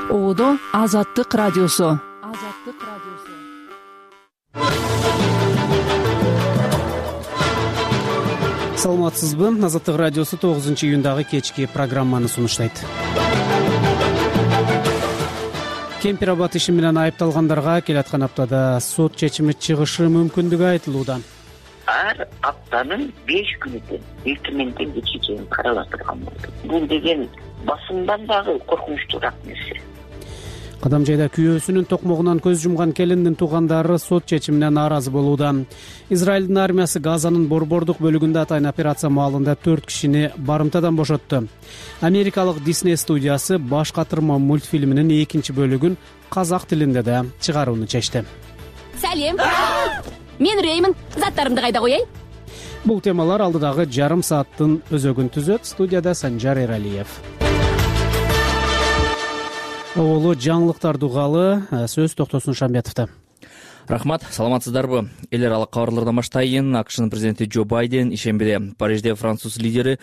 Оодо Азаттык радиосу. Саламатсызбы? Азаттык радиосу 9-июндагы кечки программаны сунуштайт. Кемпир абад иши менен айыпталгандарга келаткан аптада сот чечими чыгышы мүмкүндүгү айтылууда. Ар аптанын 5 күнү эртеменден кечке чейин каралып турган болду. Бул деген басымдан дагы коркунучтуураак нерсе. Кадам жайда күйөөсүнүн токмогунан көз жумган келиндин туугандары сот чечимине нааразы болууда. Израилдин армиясы Газанын борбордук бөлүгүндө атайын операция маалында 4 кишини барымтадан бошотту. Америкалык Disney студиясы баш катырма мультфильминин 2 бөлүгүн казак тилинде да чыгарууну чечти. Салем. Мен Реймин, заттарымды кайда коеюн? Бул темалар алдыдагы жарым сааттын өзөгүн түзөт. Студияда Санжар Эралиев. Оолу жаңылыктарды угалы, сөз Токтосун Шамбетовдо. Рахмат, саламатсыздарбы? Эл аралык кабарлардан баштайын. АКШнын президенти Джо Байден ишембиде Парижде француз лидери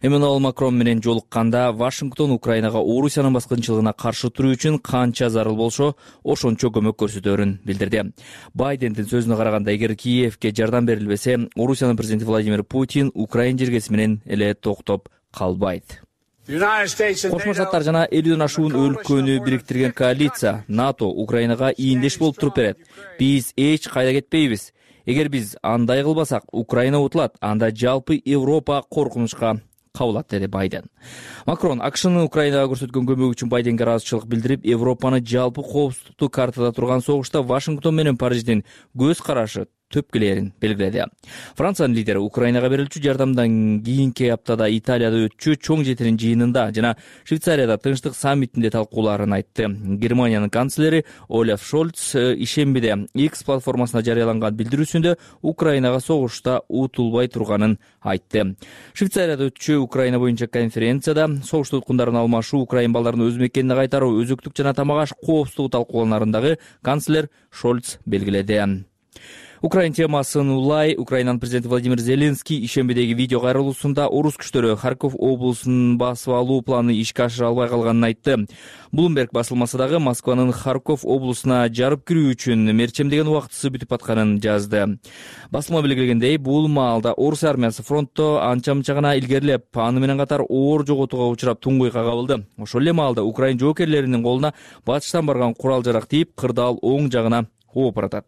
Эммануэль Макрон менен жолукканда Вашингтон Украинага Орусиянын баскынчылыгына каршы туруу үчүн канча зарыл болсо, ошончо көмөк көрсөтөөрүн билдирди. Байдендин сөзүнө караганда, эгер Киевке жардам берилбесе, Орусиянын президенти Владимир Путин Украина жергеси менен эле токтоп калбайт. Кошмо Штаттар жана 50ден ашуун өлкөнү бириктирген коалиция НАТО Украинага ийиндеш болуп туруп берет. Биз эч кайда кетпейбиз. Эгер биз андай кылбасак, Украина утулат, анда жалпы Европа коркунучка кабылат, деди Байден. Макрон АКШнын Украинага көрсөткөн көмөгү үчүн Байденге ыраазычылык билдирип, Европаны жалпы коопсуздукту картада турган согушта Вашингтон менен Париждин көз карашы төпкүлөрүн белгиледи. Франциянын лидери Украинага берилчү жардамдан кийинки аптада Италияда өтчү чоң жетирин жыйынында жана Швейцарияда тынчтык саммитинде талкууларын айтты. Германиянын канцлери Олаф Шольц ишембиде X платформасына жарыяланган билдирүүсүндө Украинага согушта утулбай турганын айтты. Швейцарияда өтчү Украина боюнча конференцияда согуш туткундарын алмашуу, Украин балдарын өз мекенине кайтаруу, өзөктүк жана тамак аш коопсуздугу талкууланарындагы канцлер Шольц белгиледи. Украин темасын улай Украинанын президенти Владимир Зеленский ишембидеги видео кайрылуусунда орус күчтөрү Харьков облусун басып алуу планы ишке ашыра албай калганын айтты. Bloomberg басылмасы дагы Москванын Харьков облусуна жарып кирүү үчүн мерчемдеген убактысы бүтүп атканын жазды. Басылма белгилегендей, бул маалда орус армиясы фронтто анча-мынча гана илгерилеп, аны менен катар оор жоготууга учурап туңгуйга кабылды. Ошол эле маалда Украин жоокерлеринин колуна батыштан барган курал-жарак тийип, кырдаал оң жагына ооп баратат.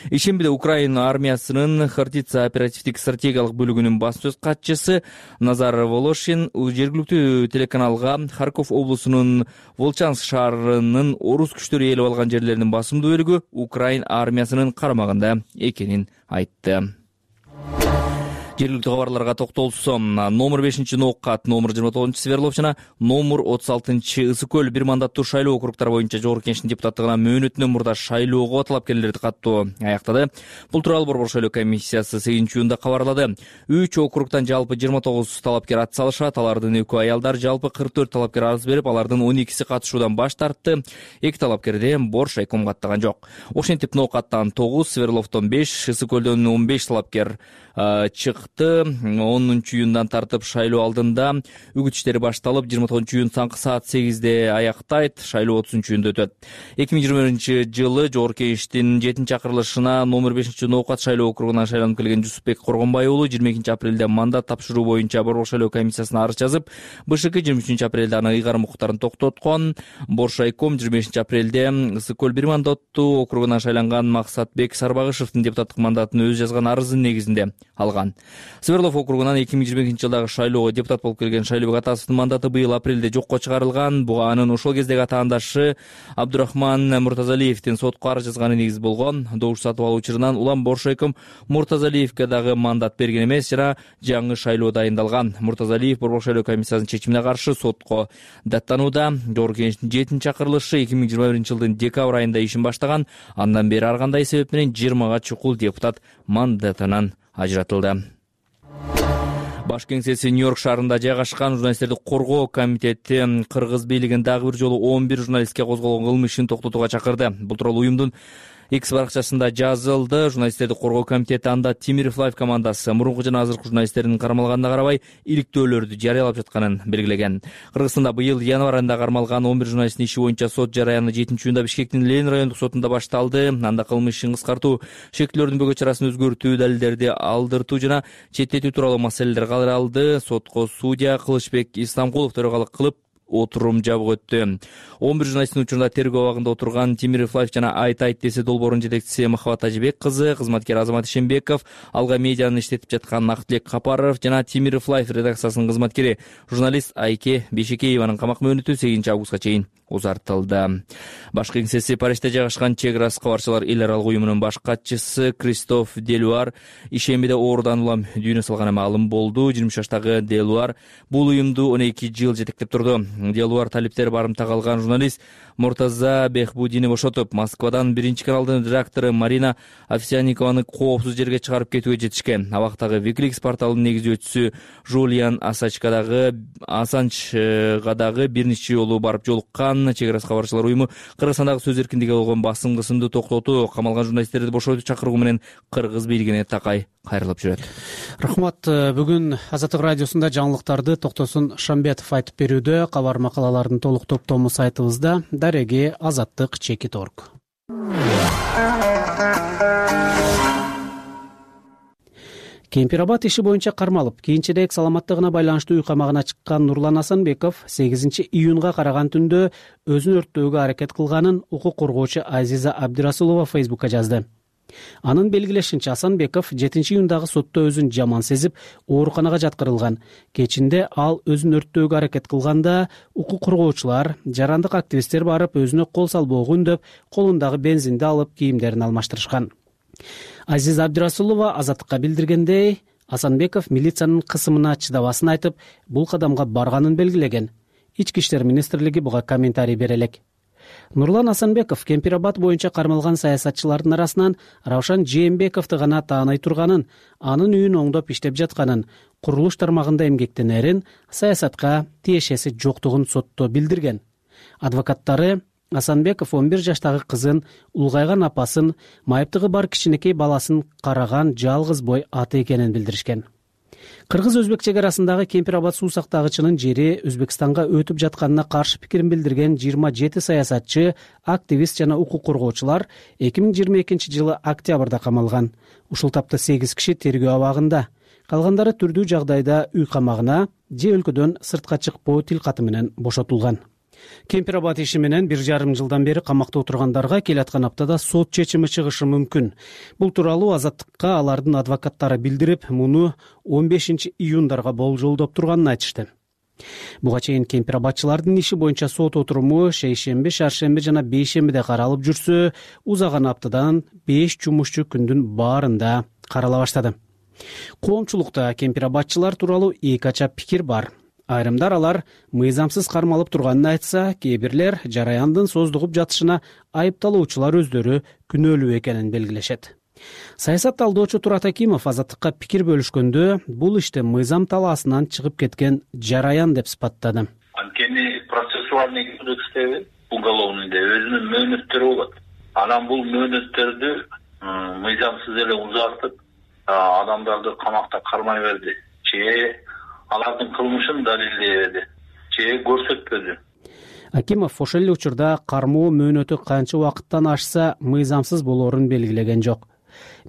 Ишембиде Украина армиясынын Хортица оперативдик стратегиялык бөлүгүнүн баш сөз катчысы Назар Волошин жергиликтүү телеканалга Харьков облусунун Волчанск шаарынын орус күчтөрү ээлеп алган жерлеринин басымдуу бөлүгү Украин армиясынын карамагында экенин айтты. Жергиликтүү кабарларга токтолсом, номер 5 Ноокат, номер 29 Свердлов жана номер 36 Ысык көл бир мандаттуу шайлоо округтары боюнча Жогорку Кеңештин депутаттыгына мөөнөтүнөн мурда шайлоого талапкерлерди каттоо аяктады. Бул тууралуу Борбор шайлоо комиссиясы 8-июнда кабарлады. 3 округтан жалпы 29 талапкер ат салышат. Алардын 2 аялдар, жалпы 44 талапкер арыз берип, алардын 12си катышуудан баш тартты. 2 талапкерди Борш айком каттаган жок. Ошентип Ноокаттан 9, Свердловдон 5, Ысык көлдөн 15 талапкер чыкты. 10-июндан тартып шайлоо алдында үгүт иштери башталып, 29-июн таңкы саат 8-де аяктайт. Шайлоо 30-июнда өтөт. 2021-жылы Жогорку Кеңештин 7-чакырылышына номер 5 Ноокат шайлоо округунан шайланып келген Жусупбек Коргонбай уулу 22-апрелде мандат тапшыруу боюнча Борбор шайлоо комиссиясына арыз жазып, БШК 23-апрелде аны ыйгарым укуктарын токтоткон. Борш айком 25-апрелде Ысык көл бир мандаттуу округунан шайланган Максатбек Сарбагышевдин депутаттык мандатын өз жазган арызынын негизинде алган. Свердлов округунан 2022-жылдагы шайлоого депутат болуп келген Шайлообек Атасовдун мандаты быйыл апрелде жокко чыгарылган. Буга анын ошол кездеги атаандашы Абдурахман Муртазалиевдин сотко арыз жазганы негиз болгон. Добуш сатып алуу учурунан улам Борш айком Муртазалиевке дагы мандат берген эмес жана жаңы шайлоо дайындалган. Муртазалиев Борбор шайлоо комиссиясынын чечимине каршы сотко даттанууда. Жогорку Кеңештин 7-чакырылышы 2021-жылдын декабрь айында ишин баштаган. Андан бери ар кандай себеп менен 20га чукул депутат мандатынан ажыратылды. Баш кеңсеси Нью-Йорк шаарында жайгашкан журналисттерди коргоо комитети Кыргыз бийлигин дагы бир жолу 11 журналистке козголгон кылмыш ишин токтотууга чакырды. Бул тууралуу уюмдун X баракчасында жазылды. Журналисттерди коргоо комитети анда Темиров Лайв командасы мурунку жана азыркы журналисттердин кармалганына карабай иликтөөлөрдү жарыялап жатканын белгилеген. Кыргызстанда быйыл январь айында кармалган 11 журналисттин иши боюнча сот жарыяны 7-июнда Бишкектин Ленин райондук сотунда башталды. Анда кылмыш ишин кыскартуу, шектүүлөрдүн бөгөт чарасын өзгөртүү, далилдерди алдыртуу жана четтетүү тууралуу маселелер каралды. Сотко судья Кылычбек Исламкулов төрагалык кылып отурум жабык өттү. 11 журналисттин учурунда тергөө абагында отурган Темиров Лайв жана Айт ДС долбоорунун жетекчиси Махабат Ажибек кызы, кызматкер Азамат Ишенбеков, Алга медианы иштетип жаткан Актилек Капаров жана Темиров Лайв редакциясынын кызматкери журналист Айке Бешекееванын камак мөөнөтү 8 августка чейин узартылды. Баш кеңсеси Парижде жайгашкан Чек Раз кабарчылар эл аралык уюмунун баш катчысы Кристоф Делуар ишембиде оорудан улам дүйнө салганы маалым болду. 20 жаштагы Делуар бул уюмду 12 жыл жетектеп турду. Делуар талиптер барымтага алган журналист Муртаза Бехбудини бошотуп, Москвадан 1 каналдын редактору Марина Овсянникованы коопсуз жерге чыгарып кетүүгө жетишкен. Абактагы Wikileaks порталынын негиздөөчүсү Жулиан Ассанжга дагы бир нече жолу барып жолуккан. Чек Раз кабарчылар уюму Кыргызстандагы сөз эркиндигине болгон басымдыгысынды токтотуу, камалган журналисттерди бошоотуу чакыруу менен кыргыз бийлигине такай кайрылып жүрөт. Рахмат. Бүгүн Азаттык радиосунда жаңылыктарды Токтосун Шамбетов айтып берүүдө. Кабар макалалардын толук топтому сайтыбызда. Дареги Азаттык.org. Кемпирабад иши боюнча кармалып, кийинчерээк саламаттыгына байланыштуу үй камагына чыккан Нурлан Асанбеков 8 июнга караган түндө өзүн өрттөөгө аракет кылганын укук коргоочу Азиза Абдирасулова Фейсбукка жазды. Анын белгилешинче, Асанбеков 7 июндагы сотто өзүн жаман сезип, ооруканага жаткырылган. Кечинде ал өзүн өрттөөгө аракет кылганда, укук коргоочулар, жарандык активисттер барып өзүнө кол салбоого үндөп, колундагы бензинди алып, кийимдерин алмаштырышкан. Азиза Абдирасулова Азаттыкка билдиргендей, Асанбеков милициянын кысымына чыдабасын айтып, бул кадамга барганын белгилеген. Ички иштер министрлиги буга комментарий бере элек. Нурлан Асанбеков Кемпирабад боюнча кармалган саясатчылардын арасынан Раушан Жээнбековду гана тааный турганын, анын үйүн оңдоп иштеп жатканын, курулуш тармагында эмгектенерин, саясатка тиешеси жоктугун сотто билдирген. Адвокаттары Асанбеков 11 жаштагы кызын, улгайган апасын, майыптыгы бар кичинекей баласын караган жалгыз бой аты экенин билдиришкен. Кыргыз-өзбек чек арасындагы Кемпирабад суу сактагычынын жери Өзбекстанга өтүп жатканына каршы пикирин билдирген 27 саясатчы, активист жана укук коргоочулар 2022 жылы октябрда камалган. Ушул тапта 8 киши тергөө абагында. Калгандары түрдүү жагдайда үй камагына же өлкөдөн сыртка чыкпоо тилкаты менен бошотулган. Кемпирабад иши менен 1,5 жылдан бери камакта отургандарга келаткан аптада сот чечими чыгышы мүмкүн. Бул тууралуу Азаттыкка алардын адвокаттары билдирип, муну 15 июндарга болжолдоп турганын айтышты. Буга чейин кемпирабадчылардын иши боюнча сот отуруму шейшемби, шаршемби жана бейшембиде каралып жүрсө, узаган аптадан 5 жумушчу күндүн баарында карала баштады. Коомчулукта кемпирабадчылар тууралуу эки ача пикир бар. Айрымдар алар мыйзамсыз кармалып турганын айтса, кээ бирлер жараяндын создугуп жатышына айыпталуучулар өздөрү күнөөлүү экенин белгилешет. Саясат талдоочу Турат Акимов Азаттыкка пикир бөлүшкөндө бул иште мыйзам талаасынан чыгып кеткен жараян деп сыпаттады. Анткени процессуальный кодекстеги уголовныйда өзүнүн мөөнөттөрү болот. Анан бул мөөнөттөрдү мыйзамсыз эле узартып, адамдарды камакта кармай берди. Алардын кылмышын далилдебеди, же көрсөтпөдү. Акимов ошол эле учурда кармоо мөөнөтү канча убакыттан ашса мыйзамсыз болоорун белгилеген жок.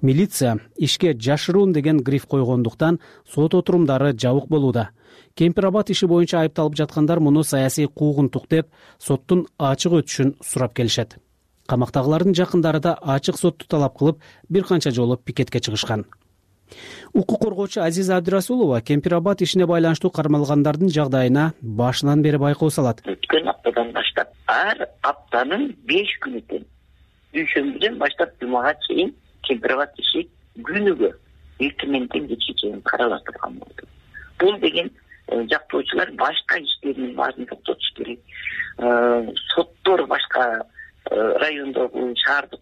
Милиция ишке жашыруун деген гриф койгондуктан сот отурумдары жабык болууда. Кемпирабад иши боюнча айыпталып жаткандар муну саясий куугунтук деп соттун ачык өтүшүн сурап келишет. Камактагылардын жакындары да ачык сотту талап кылып, бир канча жолу пикетке чыгышкан. Укук коргоочу Азиза Абдирасулова Кемпирабад ишине байланыштуу кармалгандардын жагдайына башынан бери байкоо салат. Өткөн аптадан баштап ар аптанын 5 күнү дүйшөмбүдөн баштап жумага чейин Кемпирабад иши күнүгө эртеменден кечке чейин карала турган болду. Бул деген жактоочулар башка иштердин баарын токтотуш керек. Соттор башка райондогу, шаардык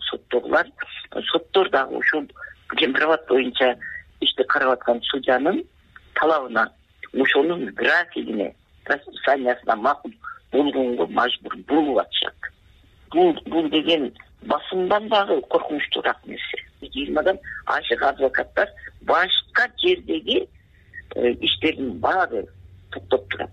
соттор дагы ошол Кемпирабад боюнча ишти карап аткан судьянын талабына, ошонун графигине, расписаниясына макул болгонго мажбур болуп атышат. Бул деген басымдан дагы коркунучтуураак нерсе. 20 ашык адвокаттар башка жердеги иштердин баары токтоп турат.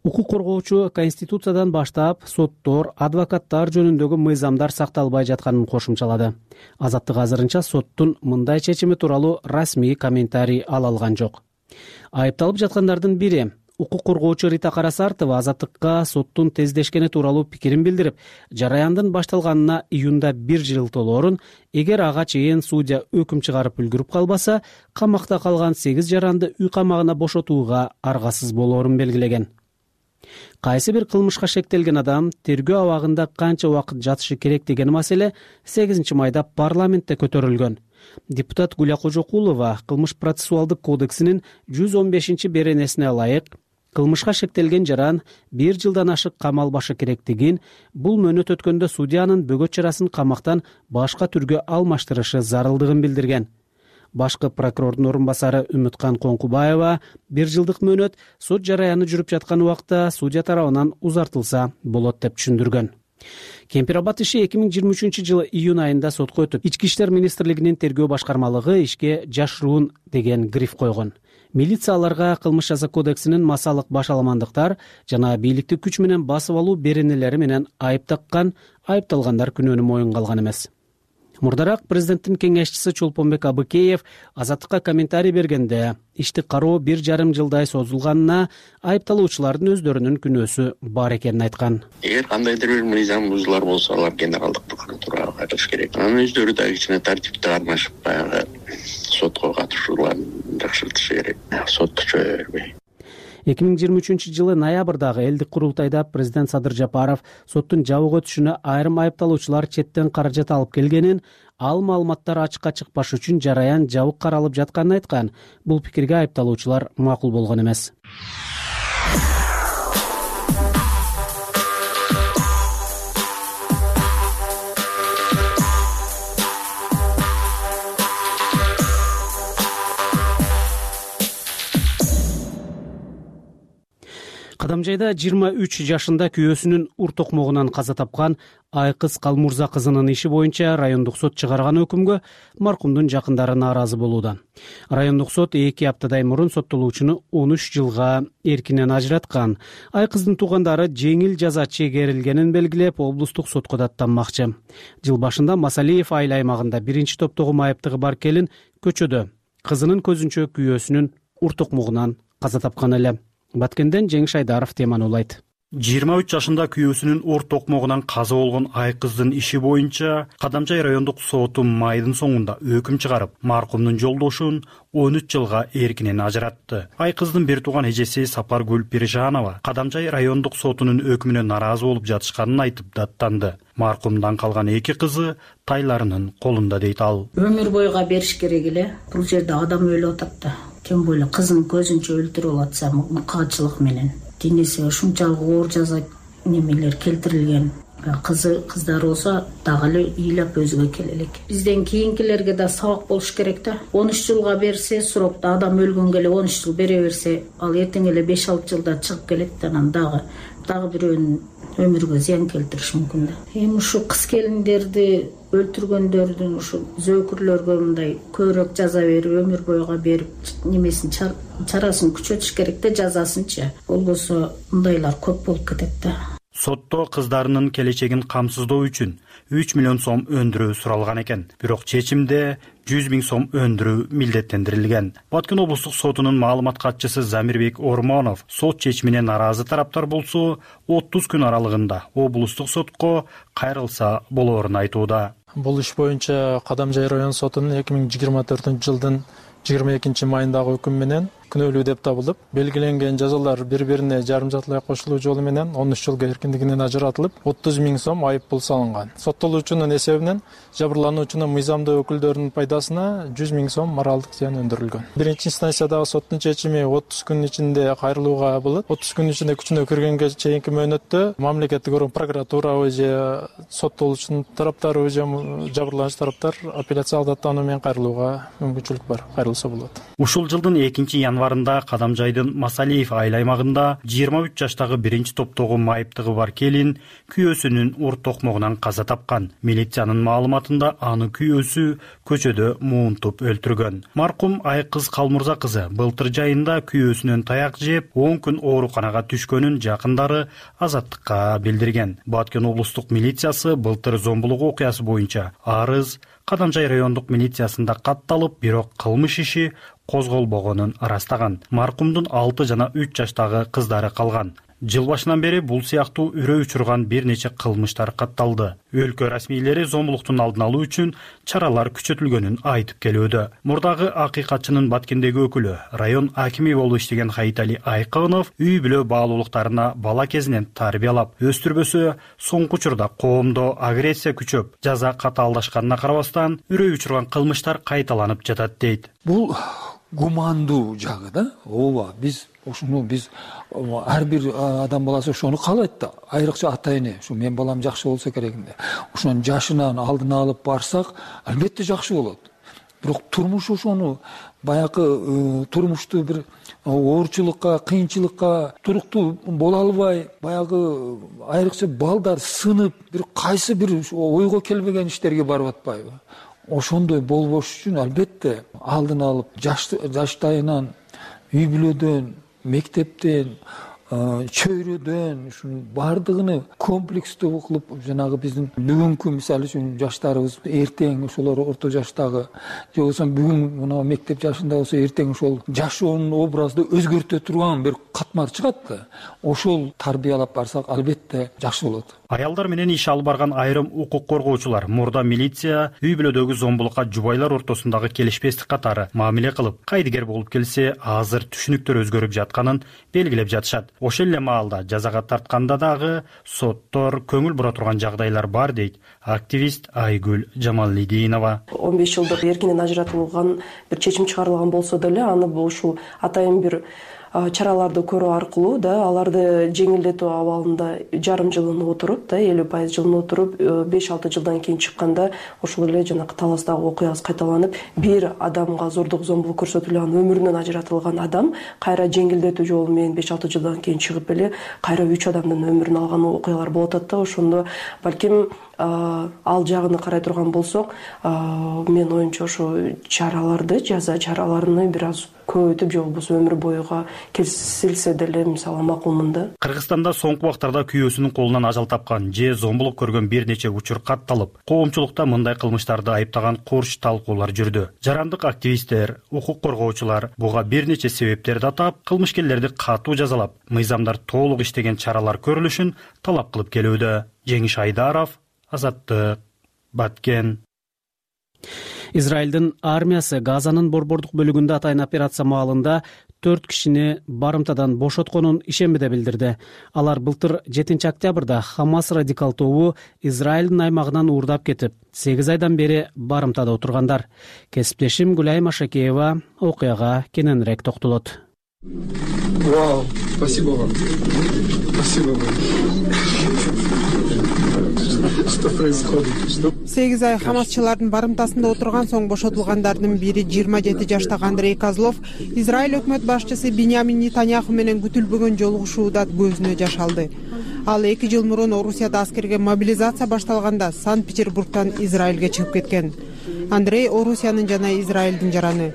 Укук коргоочу Конституциядан баштап соттор, адвокаттар жөнүндөгү мыйзамдар сакталбай жатканын кошумчалады. Азаттык азырынча соттун мындай чечими тууралуу расмий комментарий ала алган жок. Айыпталып жаткандардын бири укук коргоочу Рита Карасартова Азаттыкка соттун тездешкени тууралуу пикирин билдирип, жараяндын башталганына июнда 1 жыл толоорун, эгер ага чейин судья өкүм чыгарып үлгүрүп калбаса, камакта калган 8 жаранды үй камагына бошотууга аргасыз болоорун белгилеген. Кайсы бир кылмышка шектелген адам тергөө абагында канча убакыт жатышы керек деген маселе 8 майда парламентте көтөрүлгөн. Депутат Гүлия Кожокулова кылмыш процессуалдык кодексинин 115 беренесине ылайык кылмышка шектелген жаран 1 жылдан ашык камалбашы керектигин, бул мөөнөт өткөндө судьянын бөгөт чарасын камактан башка түргө алмаштырышы зарылдыгын билдирген. Башкы прокурордун орун басары Үмүткан Коңкубаева 1 жылдык мөөнөт сот жараяны жүрүп жаткан убакта судья тарабынан узартылса болот деп түшүндүргөн. Кемпир Абад иши 2023 жылы июнь айында сотко өтүп, Ички иштер министрлигинин тергөө башкармалыгы ишке жашыруун деген гриф койгон. Милиция аларга кылмыш жаза кодексинин масалык башаламандыктар жана бийликти күч менен басып алуу беренелери менен айып таккан, айыпталгандар күнөөнү моюнга алган эмес. Мурдараак президенттин кеңешчиси Чолпонбек Абыкеев Азаттыкка комментарий бергенде, ишти кароо 1,5 жылдай созулганына айыпталуучулардын өздөрүнүн күнөөсү бар экенин айткан. Эгер кандайдыр бир мыйзам бузулар болсо, алар генералдык прокуратурага кайтыш керек. Анын өздөрү да кичине тартипти кармашып, баягы сотко катышууларын жакшыртышы керек. Сот күчөй бербей. 2023 жылы ноябрдагы элдик курултайда президент Садыр Жапаров соттун жабык өтүшүнө айрым айыпталуучулар четтен каражат алып келгенин, ал маалыматтар ачыкка чыкпаш үчүн жараян жабык каралып жатканын айткан. Бул пикирге айыпталуучулар макул болгон эмес. Кадамжайда 23 жашында күйөөсүнүн ур токмогунан каза тапкан Айкыз Калмурза кызынын иши боюнча райондук сот чыгарган өкүмгө маркумдун жакындары нааразы болууда. Райондук сот 2 аптадай мурун соттолуучуну 13 жылга эркинен ажыраткан. Айкыздын туугандары жеңил жаза чегерилгенин белгилеп, облустук сотко даттанмакчы. Жыл башында Масалиев айыл аймагында 1 топтогу майыптыгы бар келин көчөдө кызынын көзүнчө күйөөсүнүн ур токмогунан каза тапкан эле. Баткенден Жеңиш Айдаров теманы улайт. 23 жашында күйөөсүнүн ор токмогунан каза болгон Айкыздын иши боюнча Кадамжай райондук соту майдын соңунда өкүм чыгарып, маркумдун жолдошун 13 жылга эркинен ажыратты. Айкыздын бир тууган эжеси Сапаргүл Пиржанова Кадамжай райондук сотунун өкүмүнө нааразы болуп жатышканын айтып даттанды. Маркумдан калган 2 кызы тайларынын колунда дейт ал. Өмүр бойга бериш керек эле. Бул жерде адам өлүп атат да. Тем более кызын көзүнчө өлтүрүп атса мукаачылык менен денеси ушунчалык оор жаза немелер келтирилген. Кыздар болсо дагы эле ыйлап өзүгө келе элек. Бизден кийинкилерге да сабак болуш керек да. 13 жылга берсе, срокто адам өлгөнгө эле 13 жыл бере берсе, ал эртең эле 5-6 жылда чыгып келет, анан дагы бирөөнүн өмүргө зыян келтириш мүмкүн да. Эми ушу кыз келиндерди өлтүргөндөрдүн ушу зөөкүрлөргө мындай көбүрөөк жаза берип, өмүр бойга берип, немесин чарасын күчөтүш керек да, жазасынчы. Болбосо мындайлар көп болуп кетет да. Сотто кыздарынын келечегин камсыздоо үчүн 3 миллион сом өндүрүү суралган экен. Бирок чечимде 100 000 сом өндүрүү милдеттендирилген. Баткен облустук сотунун маалымат катчысы Замирбек Ормонов сот чечимине нааразы тараптар болсо 30 күн аралыгында облустук сотко кайрылса болоорун айтууда. Бул иш боюнча Кадамжай район сотунун 2024 жылдын 22 майындагы өкүм менен күнөөлүү деп табылып, белгиленген жазалар бири-бирине жарым жартылай кошулуу жолу менен 13 жылга эркиндигинен ажыратылып, 30 000 сом айып пул салынган. Соттолуучунун эсебинен жабырлануучунун мыйзамдуу өкүлдөрүнүн пайдасына 100 000 сом моралдык зыян өндүрүлгөн. Биринчи инстанциядагы соттун чечими 30 күн ичинде кайрылууга болот. 30 күн ичинде күчүнө киргенге чейинки мөөнөттө мамлекеттик орган прокуратура же соттолуучунун тараптары же жабырлануучу тараптар апелляциялык даттануу менен кайрылууга мүмкүнчүлүк бар. Кайрылса болот. Ушул жылдын 2 январында Кадамжайдын Масалиев айыл аймагында 23 жаштагы биринчи топтогу майыптыгы бар келин күйөөсүнүн урт токмогунан каза тапкан. Милициянын маалыматында аны күйөөсү көчөдө муунтуп өлтүргөн. Маркум Айкыз Калмурза кызы былтыр жайында күйөөсүнөн таяк жеп 10 күн ооруканага түшкөнүн жакындары Азаттыкка билдирген. Баткен облустук милициясы былтыр зомбулук окуясы боюнча арыз Кадамжай райондук милициясында катталып, бирок кылмыш иши козголбогонун ырастаган. Маркумдун 6 жана 3 жаштагы кыздары калган. Жыл башынан бери бул сыяктуу үрөө учурган бир нече кылмыштар катталды. Өлкө расмийлери зомбулуктун алдын алуу үчүн чаралар күчөтүлгөнүн айтып келүүдө. Мурдагы акыйкатчынын Баткендеги өкүлү, район акими болуп иштеген Хайтали Айкынов үй бүлө баалуулуктарына бала кезинен тарбиялап өстүрбөсө, соңку учурда коомдо агрессия күчөп, жаза катаалдашканына карабастан, үрөө учурган кылмыштар кайталанып жатат дейт. Бул гумандуу жагы да. Ооба, биз ар бир адам баласы ошону каалайт да. Айрыкча ата эне, ушу мен балам жакшы болсо керегинде. Ошонун жашынан алдын алып барсак, албетте жакшы болот. Бирок турмуш ошону баягы турмушту бир оорчулукка, кыйынчылыкка туруктуу боло албай, баягы айрыкча балдар сынып, бир кайсы бир ойго келбеген иштерге барып атпайбы? Ошондой болбош үчүн албетте алдын алып жаштайынан, үй бүлөдөн, мектептен, чөйрөдөн ушунун бардыгыны комплекстүү кылып, жанагы биздин бүгүнкү мисалы үчүн жаштарыбыз эртең ошолор орто жаштагы же болбосо бүгүн мына мектеп жашында болсо эртең ошол жашоонун образды өзгөртө турган бир катмар чыгат да. Ошол тарбиялап барсак албетте жакшы болот. Аялдар менен иш алып барган айрым укук коргоочулар мурда милиция үй бүлөдөгү зомбулукка жубайлар ортосундагы келишпестик катары мамиле кылып, кайдыгер болуп келсе, азыр түшүнүктөр өзгөрүп жатканын белгилеп жатышат. Ошол эле маалда жазага тартканда дагы соттор көңүл бура турган жагдайлар бар дейт активист Айгүл Жамалидинова. 15 жылдык эркинен ажыратылган бир чечим чыгарылган болсо деле, аны ушул атайын бир чараларды көрүү аркылуу да аларды жеңилдетүү абалында жарым жылын отуруп да 50% жылын отуруп 5-6 жылдан кийин чыкканда ошол эле жанакы Таластагы окуябыз кайталанып, бир адамга зордук зомбулук көрсөтүлүп анын өмүрүнөн ажыратылган адам кайра жеңилдетүү жолу менен 5-6 жылдан кийин чыгып эле кайра 3 адамдын өмүрүн алган окуялар болуп атат да. Ошондо балким ал жагын карай турган болсок, мен оюмча ошо чараларды, жаза чараларын бир аз көбөйтүп же болбосо өмүр боюга келсилсе деле мисалы макулмун да. Кыргызстанда соңку убактарда күйөөсүнүн колунан ажал тапкан же зомбулук көргөн бир нече учур катталып, коомчулукта мындай кылмыштарды айыптаган курч талкуулар жүрдү. Жарандык активисттер, укук коргоочулар буга бир нече себептерди атап, кылмышкерлерди катуу жазалап, мыйзамдар толук иштеген чаралар көрүлүшүн талап кылып келүүдө. Жеңиш Айдаров, Азаттык, Баткен. Израилдин армиясы Газанын борбордук бөлүгүндө атайын операция маалында 4 кишини барымтадан бошотконун ишембиде билдирди. Алар былтыр 7 октябрда Хамас радикал тобу Израилдин аймагынан уурдап кетип, 8 айдан бери барымтада отургандар. Кесиптешим Гүлай Машакеева окуяга кененирээк токтолот. Вау, спасибо вам. Спасибо вам. Что происходит? 8 ай Хамасчылардын барымтасында отурган соң бошотулгандардын бири 27 жаштагы Андрей Козлов Израиль өкмөт башчысы Биньямин Нетаньяху менен күтүлбөгөн жолугушууда көзүнө жаш алды. Ал 2 жыл мурун Орусияда аскерге мобилизация башталганда Санкт-Петербургтан Израилге чыгып кеткен. Андрей Орусиянын жана Израилдин жараны.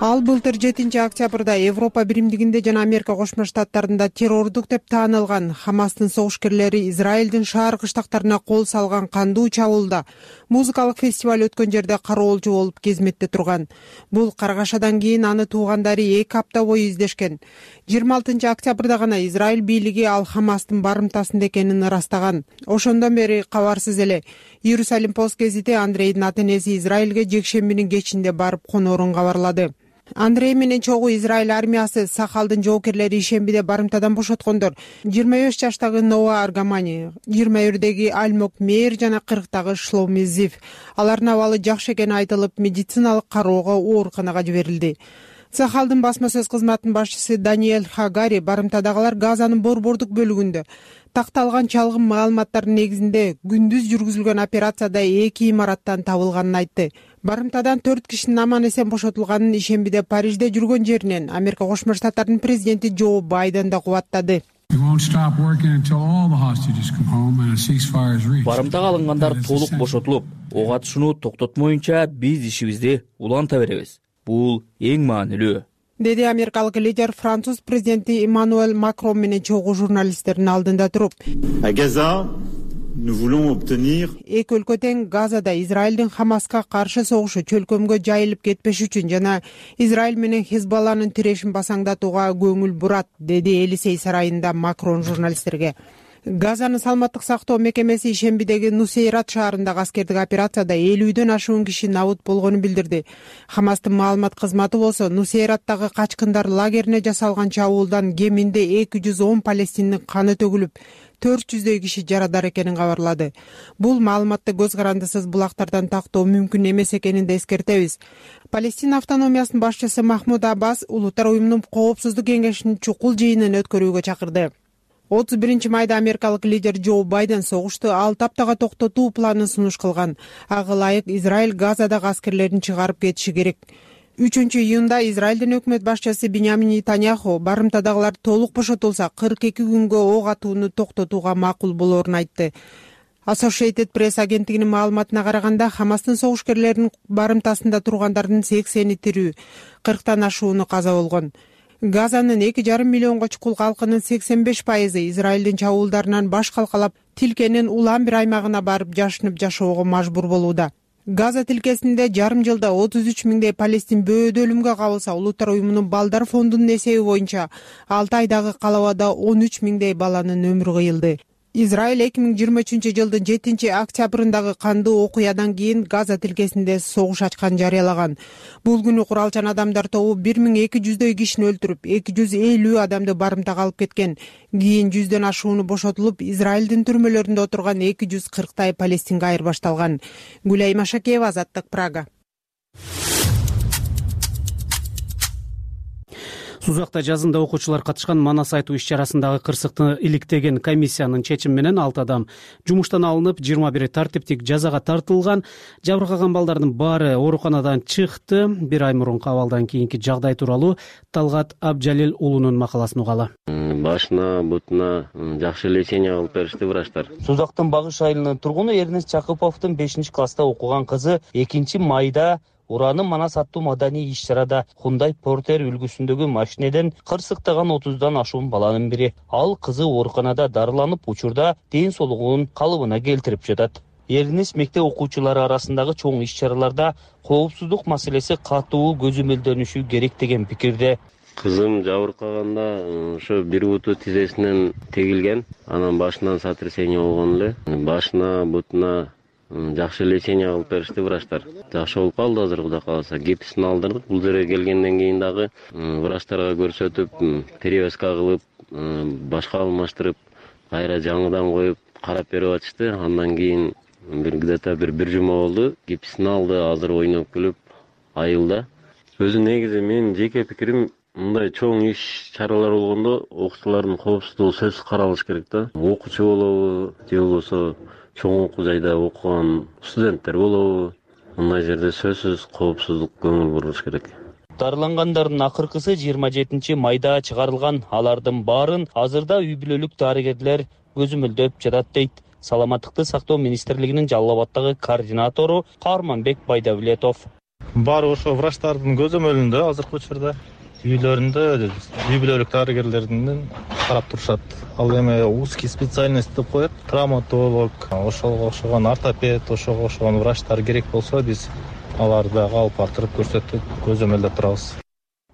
Ал былтыр 7 октябрда Европа биримдигинде жана Америка Кошмо Штаттарында террордук деп таанылган Хамастын согушкерлери Израилдин шаар кыштактарына кол салган кандуу чабуулда музыкалык фестиваль өткөн жерде кароолчу болуп кезметте турган. Бул каргашадан кийин аны туугандары 2 апта бою издешкен. 26 октябрда гана Израиль бийлиги ал Хамастын барымтасында экенин ырастаган. Ошондон бери кабарсыз эле. Иерусалим пост гезити Андрейдин ата-энеси Израилге жекшембинин кечинде барып коноорун кабарлады. Андрей менен чогуу Израиль армиясы Сахалдын жоокерлери ишембиде барымтадан бошоткондор 25 жаштагы Ноа Аргамани, 21-деги Альмок Мейер жана 40-дагы Шломи Зив. Алардын абалы жакшы экени айтылып, медициналык кароого ооруканага жиберилди. Сахалдын басма сөз кызматынын башчысы Даниэль Хагари барымтадагылар Газанын борбордук бөлүгүндө такталган чалгын маалыматтардын негизинде күндүз жүргүзүлгөн операцияда 2 имараттан табылганын айтты. Барымтадан 4 кишинин аман эсен бошотулганын ишембиде Парижде жүргөн жеринен Америка Кошмо Штаттарынын президенти Джо Байден да кубаттады. Барымтага алынгандар толук бошотулуп, ок атышууну токтотмоюнча биз ишибизди уланта беребиз. Бул эң маанилүү, деди америкалык лидер француз президенти Эммануэль Макрон менен чогуу журналисттердин алдында туруп. Эки өлкө тең Газада Израилдин Хамаска каршы согушу чөлкөмгө жайылып кетпеш үчүн жана Израиль менен Хизбалланын тирешин басаңдатууга көңүл бурат, деди Элисей сарайында Макрон журналисттерге. Газанын саламаттык сактоо мекемеси ишембидеги Нусейрат шаарындагы аскердик операцияда 50дөн ашуун киши набыт болгонун билдирди. Хамастын маалымат кызматы болсо Нусейраттагы качкындар лагерине жасалган чабуулдан кеминде 210 палестиндин каны төгүлүп, 400дөй киши жарадар экенин кабарлады. Бул маалыматты көз карандысыз булактардан тактоо мүмкүн эмес экенин да эскертебиз. Палестина автономиясынын башчысы Махмуд Аббас Улуттар уюмунун коопсуздук кеңешинин чукул жыйынын өткөрүүгө чакырды. 31 майда америкалык лидер Джо Байден согушту 6 аптага токтотуу планын сунуш кылган. Ага ылайык Израиль Газадагы аскерлерин чыгарып кетиши керек. 3-июнда Израилдин өкмөт башчысы Биньямин Нетаньяху барымтадагылар толук бошотулса 42 күнгө ок атууну токтотууга макул болоорун айтты. Associated Press агенттигинин маалыматына караганда Хамастын согушкерлеринин барымтасында тургандардын 80-и тирүү, 40тан ашууну каза болгон. Газанын 2,5 миллионго чукул калкынын 85% Израилдин чабуулдарынан баш калкалап, тилкенин улам бир аймагына барып жашынып жашоого мажбур болууда. Газа тилкесинде жарым жылда 33 миңдей палестин бөөдө өлүмгө кабылса, Улуттар уюмунун балдар фондунун эсеби боюнча 6 айдагы калабада 13 миңдей баланын өмүрү кыйылды. Израиль 2023 жылдын 7 октябрындагы кандуу окуядан кийин Газа тилкесинде согуш ачкан жарыялаган. Бул күнү куралчан адамдар тобу 1200дөй кишини өлтүрүп, 250 адамды барымтага алып кеткен. Кийин 100дөн ашууну бошотулуп, Израилдин түрмөлөрүндө отурган 240тай палестинге айырбашталган. Гүлай Машакеева, Азаттык, Прага. Сузакта жазында окуучулар катышкан Манас айтуу иш-чарасындагы кырсыкты иликтеген комиссиянын чечими менен 6 адам жумуштан алынып, 21 тартиптик жазага тартылган. Жабыркаган балдардын баары ооруканадан чыкты. Бир ай мурунку абалдан кийинки жагдай тууралуу Талгат Абжалил уулунун макаласын угалы. Башына, бутуна жакшы лечение кылып беришти врачтар. Сузактын Багыш айылынын тургуну Эрнест Чакыповдун 5-класста окуган кызы 2 майда Уранын Манас аттуу маданий иш-чарада Hyundai Porter үлгүсүндөгү машинеден кырсыктаган 30дан ашуун баланын бири. Ал кызы ооруканада дарыланып, учурда ден соолугунун калыбына келтирип жатат. Эрнест мектеп окуучулары арасындагы чоң иш-чараларда коопсуздук маселеси катуу көзөмөлдөнүшү керек деген пикирде. Кызым жабыркаганда ошо бир буту тизесинен тегилген, анан башынан сотрясение болгон эле. Башына, бутуна жакшы лечение кылып беришти врачтар. Жакшы болуп калды азыр, Кудай кааласа. Гипсин алдырдык. Бул жерге келгенден кийин дагы врачтарга көрсөтүп, перевязка кылып, башка алмаштырып, кайра жаңыдан коюп карап берип атышты. Андан кийин где-то бир жума болду. Гипсин алды, азыр ойноп күлүп айылда. Өзү негизи менин жеке пикирим, мындай чоң иш-чаралар болгондо окуучулардын коопсуздугу сөзсүз каралыш керек да. Окуучу болобу, же болбосо чоң окуу жайда окуган студенттер болобу, мындай жерде сөзсүз коопсуздук көңүл бурулуш керек. Дарылангандардын акыркысы 27 майда чыгарылган. Алардын баарын азырда үй бүлөлүк дарыгерлер көзөмөлдөп жатат дейт Саламаттыкты сактоо министрлигинин Жалал Абаддагы координатору Карманбек Байдавлетов. Баары ошо врачтардын көзөмөлүндө азыркы учурда үйлөрүндө үй бүлөлүк дарыгерлердин карап турушат. Ал эми узкий специальность деп коет. Травматолог, ошого окшогон ортопед, ошого окшогон врачтар керек болсо, биз аларды алып бартырып көрсөтүп көзөмөлдөп турабыз.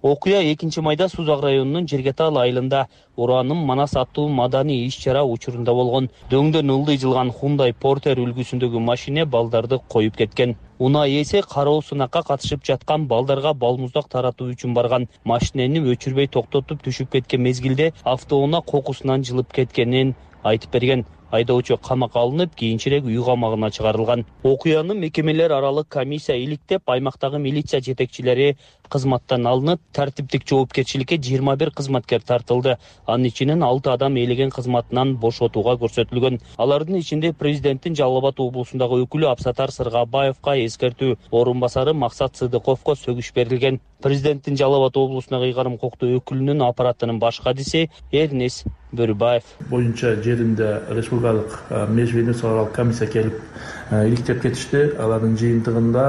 Окуя 2 майда Сузак районунун Жергетал айылында Уранын Манас аттуу маданий иш-чара учурунда болгон. Дөңдөн ылдый жылган Hyundai Porter үлгүсүндөгү машине балдарды коюп кеткен. Унаа ээси кароо сынакка катышып жаткан балдарга балмуздак таратуу үчүн барган. Машинени өчүрбөй токтотуп түшүп кеткен мезгилде автоунаа кокусунан жылып кеткенин айтып берген. айдоочу камакка алынып, кийинчерээк үй камагына чыгарылган. Окуяны мекемелер аралык комиссия иликтеп, аймактагы милиция жетекчилери кызматтан алынып, тартиптик жоопкерчиликке 21 кызматкер тартылды. Анын ичинен 6 адам ээлеген кызматынан бошотууга көрсөтүлгөн. Алардын ичинде президенттин Жалал Абад облусундагы өкүлү Абсатар Сыргабаевка, эскертүү орунбасары Максат Сыдыковго сөгүш берилген. Президенттин Жалал Абад облусундагы ыйгарым укуктуу өкүлүнүн аппаратынын баш кадиси Эрнес Бөрүбаев боюнча жеринде республикалык межведомстволук комиссия келип иликтеп кетишти. Алардын жыйынтыгында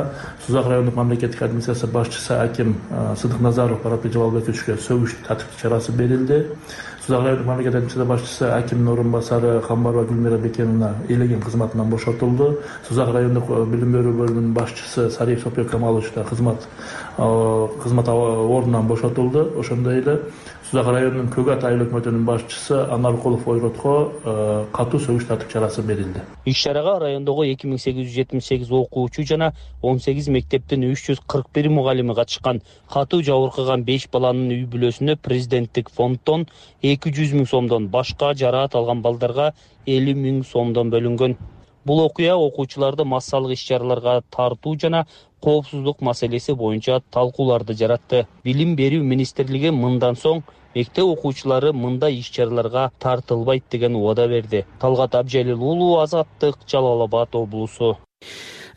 Сузак райондук мамлекеттик администрация башчысы аким Сыдык Назаров Баратбек Жабалбековичке сөгүш тартиптик чарасы берилди. Сузак райондук мамлекеттик администрация башчысы акимдин орунбасары Камбарова Гүлмира Бекеновна ээлеген кызматынан бошотулду. Сузак райондук билим берүү бөлүмүнүн башчысы Сариев Сопбек Камалович да кызмат ордунан бошотулду. Ошондой эле Сузак районунун Көк Ат айыл өкмөтүнүн башчысы Анаркулов Ойротко катуу сөгүш тартип чарасы берилди. Иш-чарага райондогу 2878 окуучу жана 18 мектептин 341 мугалими катышкан. Катуу жабыркаган 5 баланын үй бүлөсүнө президенттик фонддон 200 000 сомдон, башка жараат алган балдарга 50 000 сомдон бөлүнгөн. Бул окуя окуучуларды массалык иш-чараларга тартуу жана коопсуздук маселеси боюнча талкууларды жаратты. Билим берүү министрлиги мындан соң мектеп окуучулары мындай иш-чараларга тартылбайт деген убада берди. Талгат Абжалил уулу, Азаттык, Жалал Абад облусу.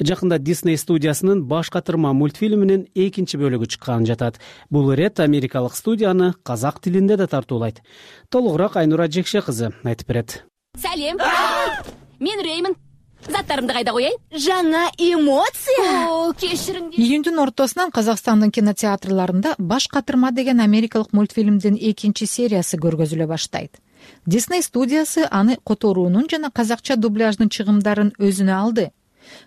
Жакында Disney студиясынын баш катырма мультфильминин 2 бөлүгү чыккан жатат. Бул ирет америкалык студияны казак тилинде да тартуулайт. Толугураак Айнура Жекше кызы айтып берет. Салем. Мен Реймин. Заттарымды кайда коеюн? Жаңа эмоция. Кешириңдер. Июндун ортосунан Казакстандын кинотеатрларында баш катырма деген америкалык мультфильмдин 2 сериясы көргөзүлө баштайт. Disney студиясы аны которуунун жана казакча дубляждын чыгымдарын өзүнө алды.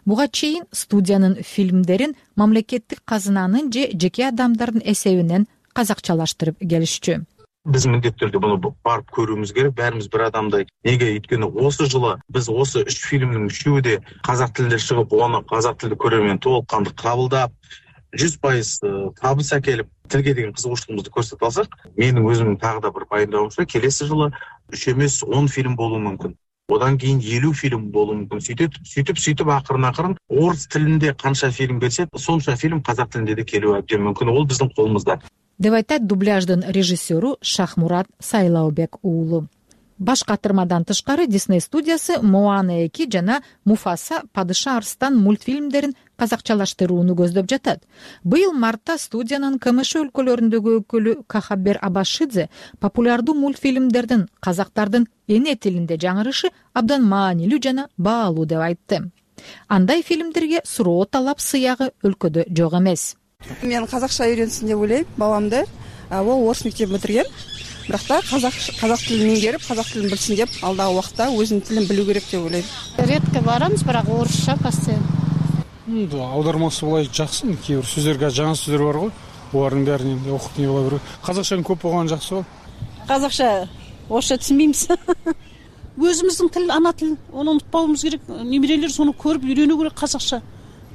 Буга чейин студиянын фильмдерин мамлекеттик казынанын же жеке адамдардын эсебинен казакчалаштырып келишчү. Биз міндетті түрде бұны барып көруіміз керек. Бәріміз бір адамдай. Неге? Өйткені осы жылы біз осы 3 фильмнің 3-і де қазақ тілінде шығып, оны қазақ тілді көрермен толыққанды қабылдап, 100% табыс әкеліп, тілге деген қызығушылығымызды көрсетіп алсақ, менің өзімнің тағы да бір пайымдауымша, келесі жылы 3 емес 10 фильм болуы мүмкін. Одан кейін 50 фильм болуы мүмкін. Сөйтіп ақырын орыс тілінде қанша фильм келсе, сонша фильм қазақ тілінде де келуі әбден мүмкін. Ол біздің қолымызда. Деп айтат дубляждын режиссеру Шахмурат Сайлаубек уулу. Баш катырмадан тышкары Disney студиясы Моана 2 жана Муфаса Падыша Арстан мультфильмдерин казакчалаштырууну көздөп жатат. Быйыл мартта студиянын КМШ өлкөлөрүндөгү өкүлү Кахабер Абашидзе популярдуу мультфильмдердин казактардын эне тилинде жаңырышы абдан маанилүү жана баалуу деп айтты. Андай фильмдерге суроо талап сыягы өлкөдө жок эмес. Мен казакча үйрөнсүн деп ойлойм, баламды. Ол орыс мектебин бүтүргөн. Бирок та казак тилин меңгерип, казак тилин билсин деп, алдагы убакта өзүнүн тилин билүү керек деп ойлойм. Редко барамыз, бирок орусча постоянно. Аудармасы булай жакшы, кээ бир сөздөргө жаңы сөздөр бар го. Булардын бәрин окуп не боло берет. Казакчанын көп болгону жакшы го. Казакча орусча түшүнбеймиз. Өзүмүздүн тил, ана тил, оны унутпауымыз керек. Немерелер сону көрүп үйрөнүү керек казакча.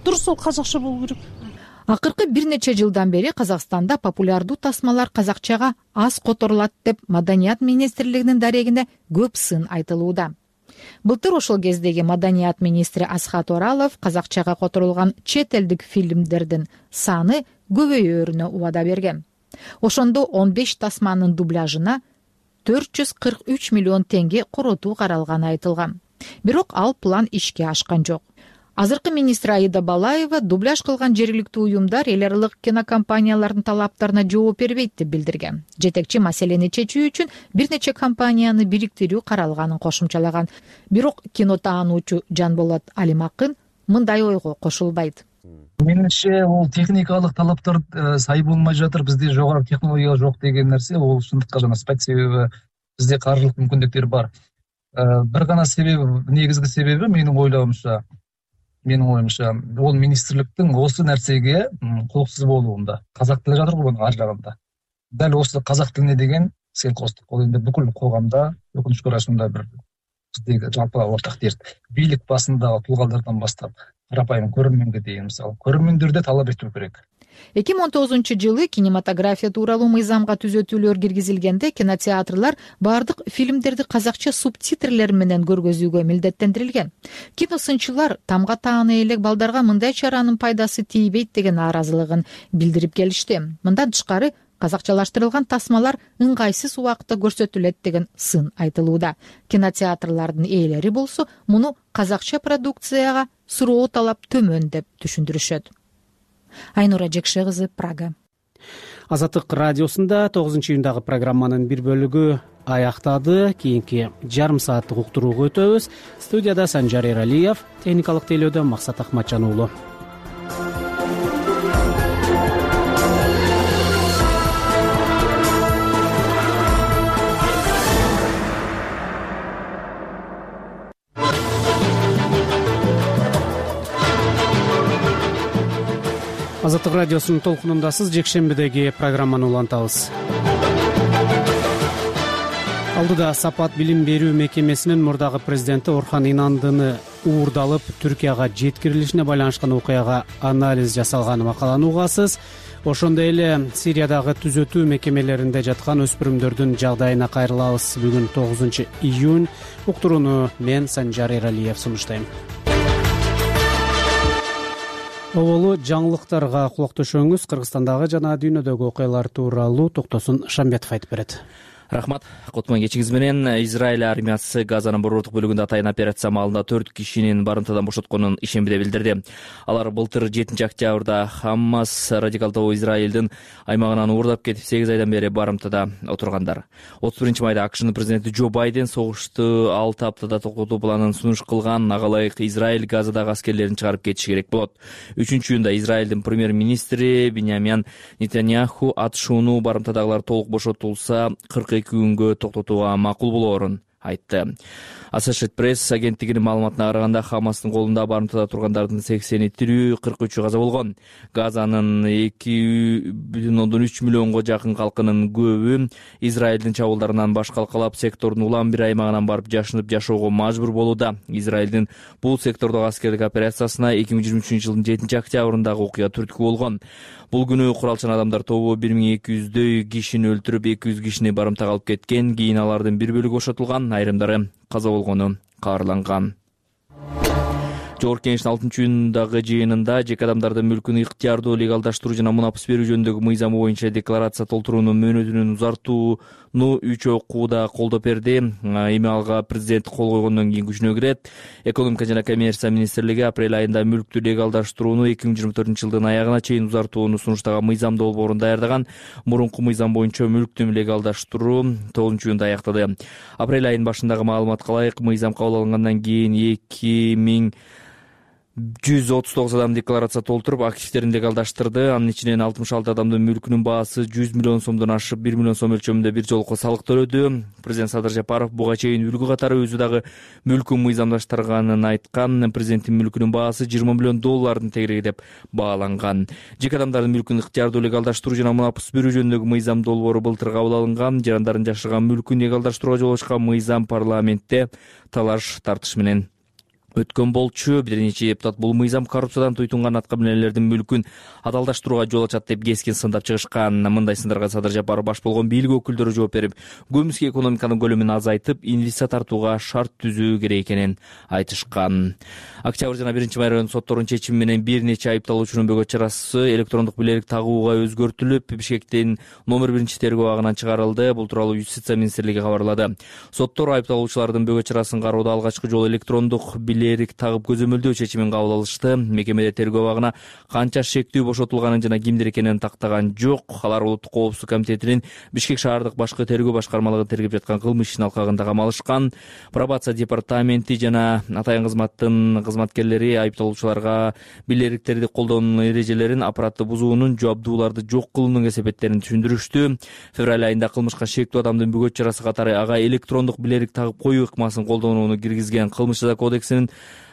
Дурус ол казакча болуу керек. Акыркы бир нече жылдан бери Казакстанда популярдуу тасмалар казакчага аз которулат деп Маданият министрлигинин дарегинде көп сын айтылууда. Былтыр ошол кездеги Маданият министри Асхат Оралов казакчага которулган чет элдик фильмдердин саны көбөйөрүнө убада берген. Ошондо 15 тасманын дубляжына 443 миллион теңге коротуу каралганы айтылган. Бирок ал план ишке ашкан жок. Азыркы министр Аида Балаева дубляж кылган жергиликтүү уюмдар эл аралык кинокомпаниялардын талаптарына жооп бербейт деп билдирген. Жетекчи маселени чечүү үчүн бир нече компанияны бириктирүү каралганын кошумчалаган. Бирок кинотаануучу Жанболот Алимакын мындай ойго кошулбайт. Менимче, ол техникалык талаптар сай болмой жатыр. Бизде жогору технология жок деген нерсе, ол шындыкка жана спать себеби бизде каржылык мүмкүндүктөр бар. Бир гана себеби, негизги себеби менин ойлоомча, ол министрликтин осы нерсеге кулуксуз болуунда. Казак тили жатыр го мунун ар жагында. Дал осы казак тилине деген селкостук. Ол эми бүкүл коомдо, өкүнүчкө каршы бир биздеги жалпы ортак дерт. Бийлик басындагы туулгардардан баштап, карапайым көрөрмөнгө дейин, мисалы, көрөрмөндөрдө талап этүү керек. 2019-жылы кинематография тууралуу мыйзамга түзөтүүлөр киргизилгенде кинотеатрлар баардык фильмдерди казакча субтитрлер менен көргөзүүгө милдеттендирилген. Киносынчылар тамга тааны элек балдарга мындай чаранын пайдасы тийбейт деген нааразылыгын билдирип келишти. Мындан тышкары казакчалаштырылган тасмалар ыңгайсыз убакытта көрсөтүлөт деген сын айтылууда. Кинотеатрлардын ээлери болсо муну казакча продукцияга суроо талап төмөн деп түшүндүрүшөт. Айнура Жекше кызы, Прага. Азаттык радиосунда 9-июндагы программанын бир бөлүгү аяктады. Кийинки жарым сааттык уктурууга өтөбүз. Студияда Санжар Эралиев, техникалык тейлөөдө Максат Акматжан уулу. Азаттык радиосунун толкунундасыз. Жекшембидеги программаны улантабыз. Алдыда Сапат билим берүү мекемесинин мурдагы президенти Орхан Инандыны уурдалып Түркияга жеткирилишине байланышкан окуяга анализ жасалганы макаланы угасыз. Ошондой эле Сириядагы түзөтүү мекемелеринде жаткан өспүрүмдөрдүн жагдайына кайрылабыз. Бүгүн 9-июнь. Уктурууну мен Санжар Эралиев сунуштайм. Оболу жаңылыктарга кулак төшөңүз. Кыргызстандагы жана дүйнөдөгү окуялар тууралуу Токтосун Шамбетов айтып берет. Рахмат. Котмон кечиңиз менен. Израиль армиясы Газанын борбордук бөлүгүндө атайын операция маалында 4 кишинин барымтадан бошотконун ишембиде билдирди. Алар былтыр 7-октябрда Хаммас радикалдуу Израилдин аймагынан уурдап кетип 8 айдан бери барымтада отургандар. 31-майда АКШнын президенти Джо Байден согушту 6 аптада токтотуу планын сунуш кылган. Ага ылайык Израиль Газадагы аскерлерин чыгарып кетиши керек болот. 3-июнда Израилдин премьер-министри Биньямин Нетаньяху атышууну барымтадагылар толук бошотулса 42 күнгө токтотууга макул болоорун айтты. Associated Press агенттигинин маалыматына караганда Хамастын колунда барымтада тургандардын 80 тирүү, 43 каза болгон. Газанын 2,3 миллионго жакын калкынын көбү Израилдин чабуулдарынан баш калкалап сектордун улам бир аймагынан барып жашынып жашоого мажбур болууда. Израилдин бул сектордогу аскерлик операциясына 2023-жылдын 7-октябрындагы окуя түрткү болгон. Бул күнү куралчан адамдар тобу 1200дөй кишини өлтүрүп, 200 кишини барымтага алып кеткен. Кийин алардын бир бөлүгү бошотулган, айрымдары каза болгону кабарланган. Жогорку Кеңештин 6-июндагы жыйынында жеке адамдардын мүлкүн ыктыярдуу легалдаштыруу жана мунапыс берүү жөнүндөгү мыйзамы боюнча декларация толтуруунун мөөнөтүнүн узартууну 3 окууда колдоп берди. Эми алга президент кол койгондон кийин күчүнө кирет. Экономика жана коммерция министрлиги апрель айында мүлктү легалдаштырууну 2024-жылдын аягына чейин узартууну сунуштаган мыйзам долбоорун даярдаган. Мурунку мыйзам боюнча мүлктү легалдаштыруу 9-июнда аяктады. Апрель айынын башындагы маалыматка ылайык мыйзам кабыл алынгандан кийин 2139 адам декларация толтуруп, активдерин легалдаштырды. Анын ичинен 66 адамдын мүлкүнүн баасы 100 миллион сомдон ашып, 1 миллион сом өлчөмүндө бир жолку салык төлөдү. Президент Садыр Жапаров буга чейин үлгү катары өзү дагы мүлкүн мыйзамдаштырганын айткан. Президенттин мүлкүнүн баасы 20 миллион доллардын тегереги деп бааланган. Жеке адамдардын мүлкүн ыктыярдуу легалдаштыруу жана мунапыс берүү жөнүндөгү мыйзам долбоору былтыр кабыл алынган. Жарандардын жашаган мүлкүн легалдаштырууга жол ачкан мыйзам парламентте талаш тартыш менен өткөн болчу. Бир нече депутат бул мыйзам коррупциядан туйтунган атка минелердин мүлкүн адалдаштырууга жол ачат деп кескин сындап чыгышкан. Мындай сындарга Садыр Жапаров баш болгон бийлик өкүлдөрү жооп берип, көмүскө экономиканын көлөмүн азайтып, инвестиция тартууга шарт түзүү керек экенин айтышкан. Октябрь жана 1-май район сотторунун чечими менен бир нече айыпталуучунун бөгөт чарасы электрондук билерик тагууга өзгөртүлүп, Бишкектин номер 1 тергөө абагынан чыгарылды. Бул тууралуу Юстиция министрлиги кабарлады. Соттор айыпталуучулардын бөгөт чарасын кароодо алгачкы жолу электрондук билерик тагып көзөмөлдөө чечимин кабыл алышты. Мекемеде тергөө абагына канча шектүү бошотулганын жана кимдер экенин тактаган жок. Алар Улуттук коопсуздук комитетинин Бишкек шаардык башкы тергөө башкармалыгы тергеп жаткан кылмыш ишин алкагында камалышкан. Пробация департаменти жана атайын кызматтын кызматкерлери айыпталуучуларга билериктерди колдоонун эрежелерин, аппаратты бузуунун, жабдууларды жок кылуунун кесепеттерин түшүндүрүштү. Февраль айында кылмышка шектүү адамдын бөгөт чарасы катары ага электрондук билерик тагып коюу ыкмасын колдонууну киргизген. Кылмыш жаза кодексинин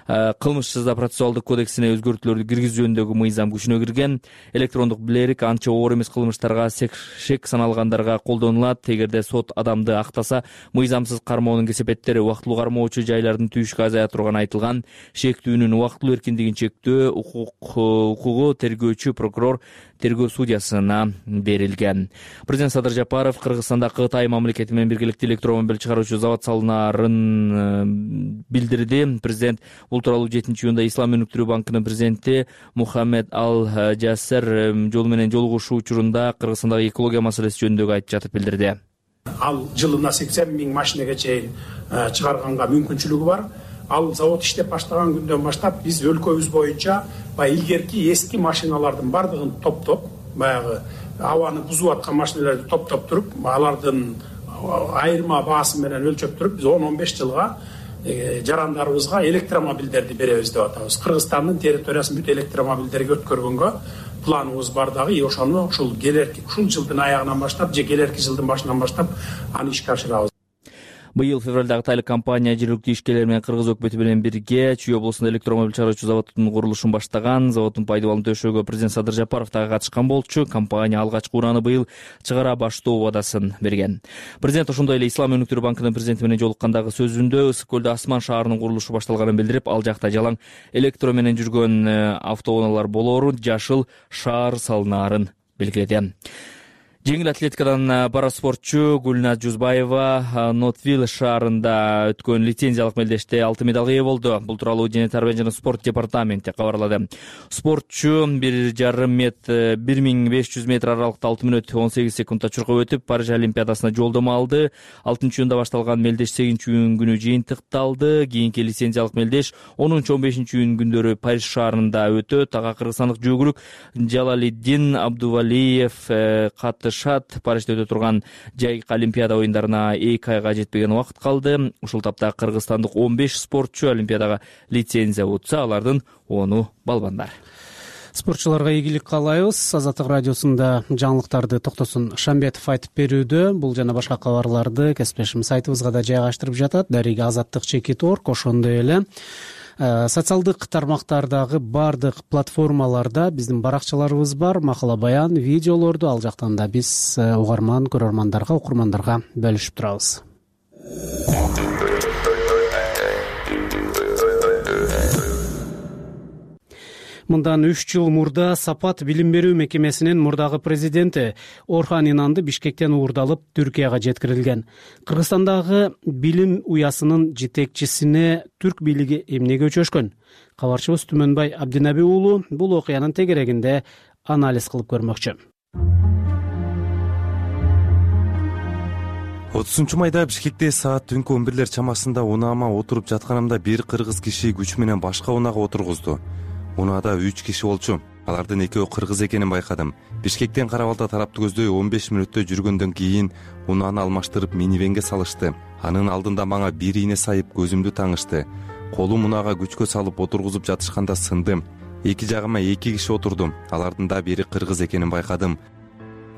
кылмыш жаза процессуалдык кодексине өзгөртүүлөрдү киргизүү жөнүндөгү мыйзам күчүнө кирген. Электрондук билерик анча оор эмес кылмыштарга шек саналгандарга колдонулат. Эгерде сот адамды актаса, мыйзамсыз кармоонун кесепеттери убактылуу кармоочу жайлардын түйүшкө азая турганы айтылган. Шектүүнүн убактылуу эркиндигин чектөө укугу тергөөчү прокурор тергөө судьясына берилген. Президент Садыр Жапаров Кыргызстанда Кытай мамлекети менен биргеликте электромобиль чыгаруучу завод салынаарын билдирди. Президент бул тууралуу 7-июнда Ислам өнүктүрүү банкынын президенти Мухаммед Ал-Жасер жол менен жолугушуу учурунда Кыргызстандагы экология маселеси жөнүндөгү айтып жатып билдирди. Ал жылына 80 000 машинеге чейин чыгарганга мүмкүнчүлүгү бар. Ал завод иштеп баштаган күндөн баштап биз өлкөбүз боюнча илгерки эски машиналардын бардыгын топтоп, баягы абаны бузуп аткан машиналарды топтоп туруп, алардын айырма баасы менен өлчөп туруп, биз 10-15 жылга жарандарыбызга электромобилдерди беребиз деп атабыз. Кыргызстандын территориясын бүт электромобилдерге өткөргөнгө планыбыз бар дагы, ошону ушул жылдын аягынан баштап, же келерки жылдын башынан баштап аны ишке ашырабыз. Быйыл февралда Кытайлык компания жергиликтүү ишкерлер менен Кыргыз өкмөтү менен бирге Чүй облусунда электромобиль чыгаруучу заводдун курулушун баштаган. Заводдун пайдалануу төшөөгө президент Садыр Жапаров дагы катышкан болчу. Компания алгачкы урааны быйыл чыгара баштоо убадасын берген. Президент ошондой эле Ислам өнүктүрүү банкынын президенти менен жолуккандагы сөзүндө Ысык көлдө Асман шаарынын курулушу башталганын билдирип, ал жакта жалаң электро менен жүргөн автоунаалар болоорун, жашыл шаар салынаарын белгиледи. Жеңил атлетикадан бара спортчу Гүлназ Жузбаева Нотвилл шаарында өткөн лицензиялык мелдеште алтын медалга ээ болду. Бул тууралуу Дене тарбия жана спорт департаменти кабарлады. Спортчу 1500 метр аралыкта 6 мүнөт 18 секундда чуркап өтүп, Париж олимпиадасына жолдомо алды. 6-июнда башталган мелдеш 8-июнь күнү жыйынтыкталды. Кийинки лицензиялык мелдеш 10-15-июнь күндөрү Париж шаарында өтөт. Ага кыргызстандык жүгүрүк Жалалиддин Абдувалиев Парижде өтө турган жайкы олимпиада оюндарына 2 айга жетпеген убакыт калды. Ушул тапта кыргызстандык 15 спортчу олимпиадага лицензия утса, алардын 10 балбандар. Спортчуларга ийгилик каалайбыз. Азаттык радиосунда жаңылыктарды Токтосун Шамбетов айтып берүүдө. Бул жана башка кабарларды кесиптешим сайтыбызга да жайгаштырып жатат. Дарига Азаттык.org, ошондой эле социалдык тармактардагы бардык платформаларда биздин баракчаларыбыз бар. Макала баян, видеолорду ал жактан да биз угарман, көрөрмандарга, окурмандарга бөлүшүп турабыз. Мындан 3 жыл мурда Сапат билим берүү мекемесинин мурдагы президенти Орхан Инанды Бишкектен уурдалып Түркияга жеткирилген. Кыргызстандагы билим уясынын жетекчисине түрк бийлиги эмнеге өчөшкөн? Кабарчыбыз Түмөнбай Абдинаби уулу бул окуянын тегерегинде анализ кылып көрмөкчү. 30 майда Бишкекте саат түнкү 11 чамасында унаама отуруп жатканымда бир кыргыз киши күч менен башка унаага отургузду. Унаада 3 киши болчу. Алардын экөө кыргыз экенин байкадым. Бишкектен Карабалда тарапты көздөй 15 мүнөттө жүргөндөн кийин унааны алмаштырып минивенге салышты. Анын алдында мага бир ийне сайып көзүмдү таңышты. Колум унаага күчкө салып отургузуп жатышканда сындым. Эки жагыма 2 киши отурду. Алардын да бири кыргыз экенин байкадым.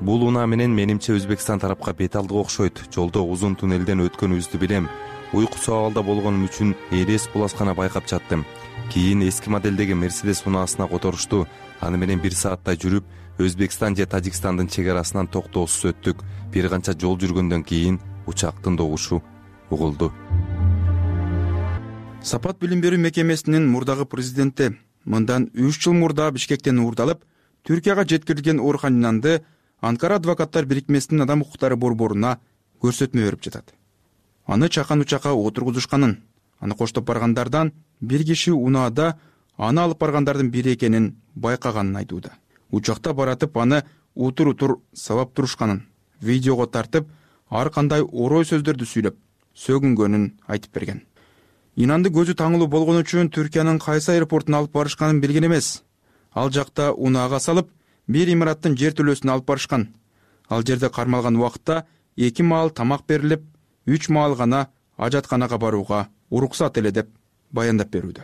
Бул унаа менен менимче Өзбекстан тарапка бет алдык окшойт. Жолдо узун туннелден өткөнүбүздү билем. Уйкусу абалда болгонум үчүн элес буласкана байкап жаттым. Кийин эски модельдеги Мерседес унаасына которушту. Аны менен 1 сааттай жүрүп, Өзбекстан же Тажикстандын чек арасынан токтоосуз өттүк. Бир канча жол жүргөндөн кийин учактын добушу угулду. Сапат билим берүү мекемесинин мурдагы президенти мындан 3 жыл мурда Бишкектен уурдалып, Түркияга жеткирилген Орхан Инанды Анкара адвокаттар бирикмесинин адам укуктары борборуна көрсөтмө берип жатат. Аны чакан учакка отургузушканын, аны коштоп баргандардан бир киши унаада аны алып баргандардын бири экенин байкаганын айтууда. Учакта баратып аны утур сабап турушканын, видеого тартып, ар кандай орой сөздөрдү сүйлөп, сөгүнгөнүн айтып берген. Инанды көзү таңылуу болгон үчүн Түркиянын кайсы аэропортуна алып барышканын билген эмес. Ал жакта унаага салып, бир имараттын жер төлөөсүнө алып барышкан. Ал жерде кармалган убакытта 2 маал тамак берилип, 3 маал гана ажатканага барууга уруксат эле деп баяндап берүүдө.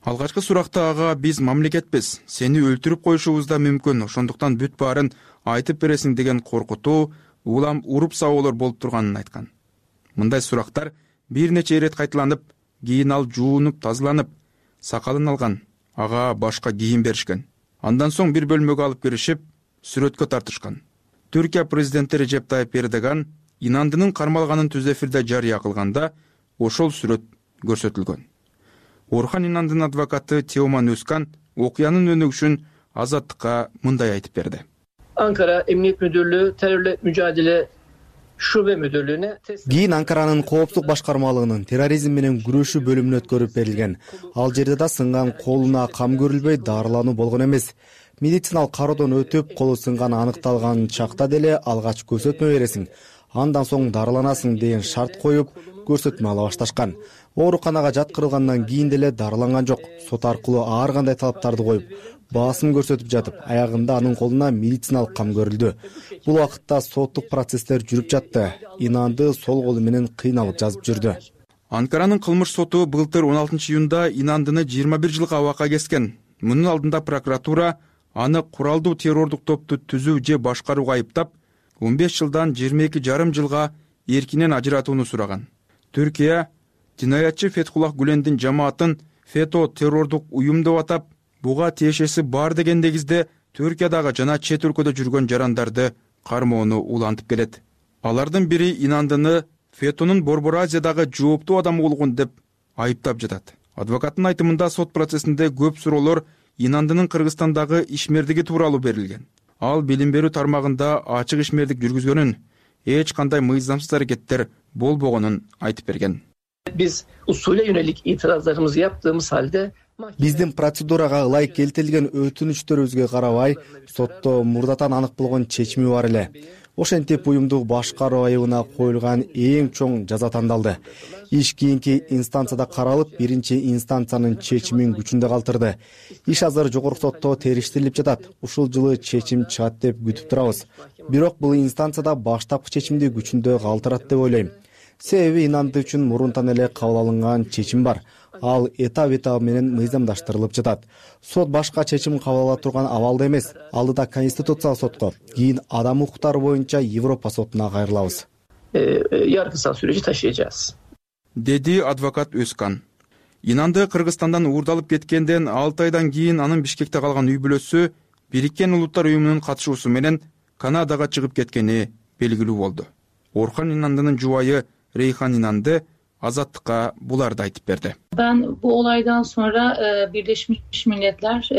Алгачкы суракта ага биз мамлекетпиз, сени өлтүрүп коюшубуз да мүмкүн, ошондуктан бүт баарын айтып бересиң деген коркутуу, улам уруп сабоолор болуп турганын айткан. Мындай сурактар бир нече ирет кайталанып, кийин ал жуунуп тазаланып сакалын алган, ага башка кийим беришкен. Андан соң бир бөлмөгө алып киришип сүрөткө тартышкан. Түркия президенти Режеп Тайып Эрдоган Инандынын кармалганын түз эфирде жарыя кылганда ошол сүрөт көрсөтүлгөн. Орхан Инандынын адвокаты Теоман Өзкан окуянын өнүгүшүн Азаттыкка мындай айтып берди. Ankara Emniyet Müdürlüğü Terörle Mücadele Şube Müdürlüğü'ne кийин Анкаранын коопсуздук башкармалыгынын терроризм менен күрөшүү бөлүмүнө өткөрүп берилген. Ал жерде да сынган колуна кам көрүлбөй дарылануу болгон эмес. Медициналык кароодон өтүп, колу сынганы аныкталган чакта деле алгач көрсөтмө бересиң, андан соң дарыланасың деген шарт коюп, көрсөтмө ала башташкан. Ооруканага жаткырылгандан кийин деле дарыланган жок. Сот аркылуу ар кандай талаптарды коюп, басым көрсөтүп жатып, аягында анын колуна медициналык кам көрүлдү. Бул убакытта соттук процесстер жүрүп жатты. Инанды сол колу менен кыйналып жазып жүрдү. Анкаранын кылмыш соту былтыр 16 июнда Инандыны 21 жылга абакка кескен. Мунун алдында прокуратура аны куралдуу террордук топту түзүү же башкарууга айыптап, 15 жылдан 22,5 жылга эркинен ажыратууну сураган. Түркия жинаятчы Фетхуллах Гүлендин жамаатын ФЕТО террордук уюм деп атап, буга тиешеси бар деген негизде Түркиядагы жана чет өлкөдө жүргөн жарандарды кармоону улантып келет. Алардын бири Инандыны ФЕТОнун Борбор Азиядагы жооптуу адамы болгон деп айыптап жатат. Адвокаттын айтымында сот процессинде көп суроолор Инандынын Кыргызстандагы ишмердиги тууралуу берилген. Ал билим берүү тармагында ачык ишмердик жүргүзгөнүн, эч кандай мыйзамсыз аракеттер болбогонун айтып берген. Biz usule yönelik itirazlarımızı yaptığımız halde Биздин процедурага ылайык келтирилген өтүнүчтөрүбүзгө карабай, сотто мурдатан анык болгон чечими бар эле. Ошентип уюмдук башкаруу айыбына коюлган эң чоң жаза тандалды. Иш кийинки инстанцияда каралып, биринчи инстанциянын чечимин күчүндө калтырды. Иш азыр жогорку сотто териштирилип жатат. Ушул жылы чечим чыгат деп күтүп турабыз. Бирок бул инстанцияда баштапкы чечимди күчүндө калтырат деп ойлойм. Себеби Инанды үчүн мурунтан эле кабыл алынган чечим бар. Ал этап менен мыйзамдаштырылып жатат. Сот башка чечим кабыл ала турган абалда эмес. Алдыда Конституциялык сотко, кийин адам укуктары боюнча Европа сотуна кайрылабыз. Yargısal süreci taşıyacağız. Dedi advokat Özkan. Инанды Кыргызстандан уурдалып кеткенден 6 айдан кийин анын Бишкекте калган үй бүлөсү Бириккен Улуттар уюмунун катышуусу менен Канадага чыгып кеткени белгилүү болду. Орхан Инандынын жубайы Рейхан Инанды Azatlık'a bular da aytıp berdi. Ben bu olaydan sonra Birleşmiş Milletler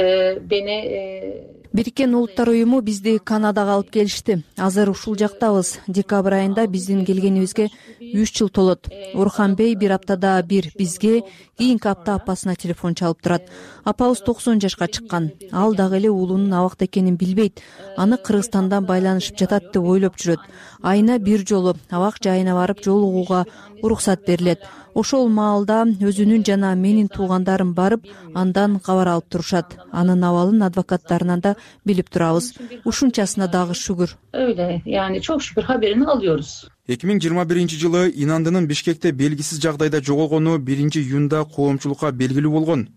beni Бириккен Улуттар уюму бизди Канадага алып келишти. Азыр ушул жактабыз. Декабрь айында биздин келгенибизге 3 жыл толот. Орхан Бей бир аптада бир бизге, кийинки апта апасына телефон чалып турат. Апабыз 90 жашка чыккан. Ал дагы эле уулунун абакта экенин билбейт. Аны Кыргызстандан байланышып жатат деп ойлоп жүрөт. Айына бир жолу абак жайына барып жолугууга уруксат берилет. Ошол маалда өзүнүн жана менин туугандарым барып, андан кабар алып турушат. Анын абалын адвокаттарынан да билип турабыз. Ушунчасына дагы шүгүр. Öyle yani çok şükür haberini alıyoruz. 2021 жылы Инандынын Бишкекте белгисиз жагдайда жоголгону 1 июнда коомчулукка белгилүү болгон.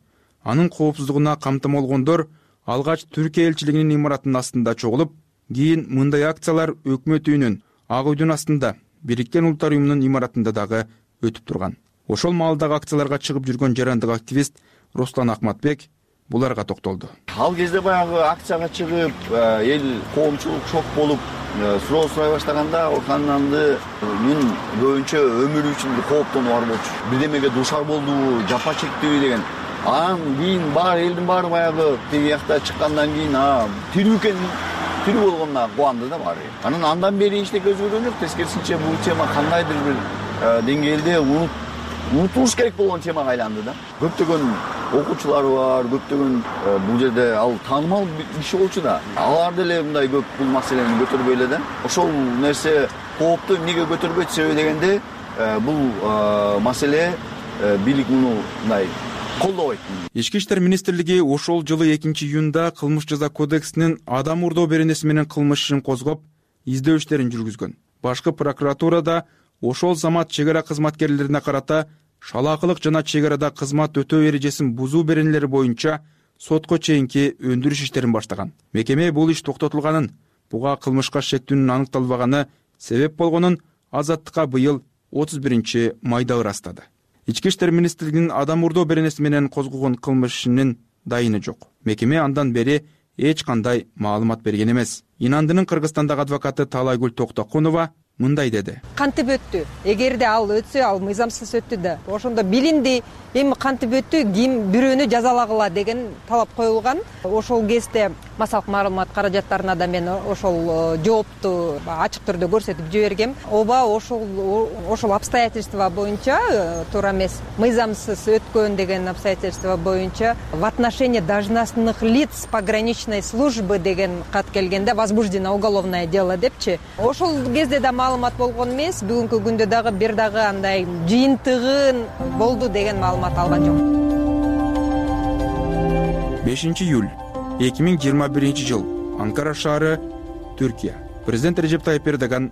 Анын коопсуздугуна камтамалгондор алгач Түркия элчилигинин имаратынын астында чогулуп, кийин мындай акциялар өкмөт үйүнүн, Ак үйдүн астында, Бириккен Улуттар уюмунун имаратында дагы өтүп турган. Ошол маалдагы акцияларга чыгып жүргөн жарандык активист Руслан Акматбек буларга токтолду. Ал кезде баягы акцияга чыгып, эл коомчулук шок болуп, суроо сурай баштаганда Орхан Инандынын көбүнчө өмүрү үчүн кооптонуу бар болчу. Бирдемеге душар болду, жапа чектиби деген. Анан кийин элдин баары баягы тиги жакта чыккандан кийин тирүү экенин тирүү болгонуна кубанды да баары. Андан бери эчтеке өзгөргөн жок. Тескерисинче бул тема кандайдыр бир деңгээлде унутулуш керек болгон темага айланды да. Көптөгөн окуучулары бар, көптөгөн бул жерде ал таанымал киши болчу да. Алар деле мындай көп бул маселени көтөрбөй эле да. Ошол нерсе коопту эмнеге көтөрбөйт себеби дегенде бул маселе бийлик муну мындай колдобойт. Ички иштер министрлиги ошол жылы 2 июнда кылмыш жаза кодексинин адам урдоо беренеси менен кылмыш ишин козгоп, издөө иштерин жүргүзгөн. Башкы прокуратурада ошол замат чек ара кызматкерлерине карата шалаакылык жана чек арада кызмат өтөө эрежесин бузуу беренелери боюнча сотко чейинки өндүрүш иштерин баштаган. Мекеме бул иш токтотулганын, буга кылмышка шектүүнүн аныкталбаганы себеп болгонун Азаттыкка быйыл 31 майда ырастады. Ички иштер министрлигинин адам урдоо беренеси менен козгогон кылмыш ишинин дайыны жок. Мекеме андан бери эч кандай маалымат берген эмес. Инандынын Кыргызстандагы адвокаты Таалайгүл Токтокунова мындай деди. Кантип өттү? Эгерде ал өтсө, ал мыйзамсыз өттү да. Ошондо билинди, эми кантип өттү, ким бирөөнү жазалагыла деген талап коюлган. Ошол кезде массалык маалымат каражаттарына да мен ошол жоопту ачык түрдө көрсөтүп жибергем. Ооба, ошол обстоятельства боюнча туура эмес, мыйзамсыз өткөн деген обстоятельства боюнча в отношении должностных лиц пограничной службы деген кат келгенде возбуждено уголовное дело депчи. Ошол кезде да маалымат болгон эмес, бүгүнкү күндө дагы бир дагы андай жыйынтыгын болду деген маалымат алган жок. 5 июль 2021 жыл, Анкара шаары, Түркия. Президент Режеп Тайып Эрдоган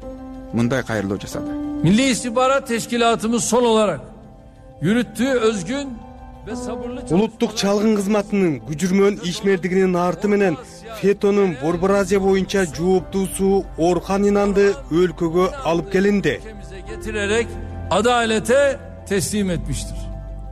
мындай кайрылуу жасады. Milli İstihbarat Teşkilatımız son olarak yürüttüğü özgün ve sabırlı Улуттук чалгын кызматынын күчүрмөн ишмердигинин арты менен ФЕТОнун Борбор Азия боюнча жооптуусу Орхан Инанды өлкөгө алып келинди. getirerek adalete teslim etmiştir.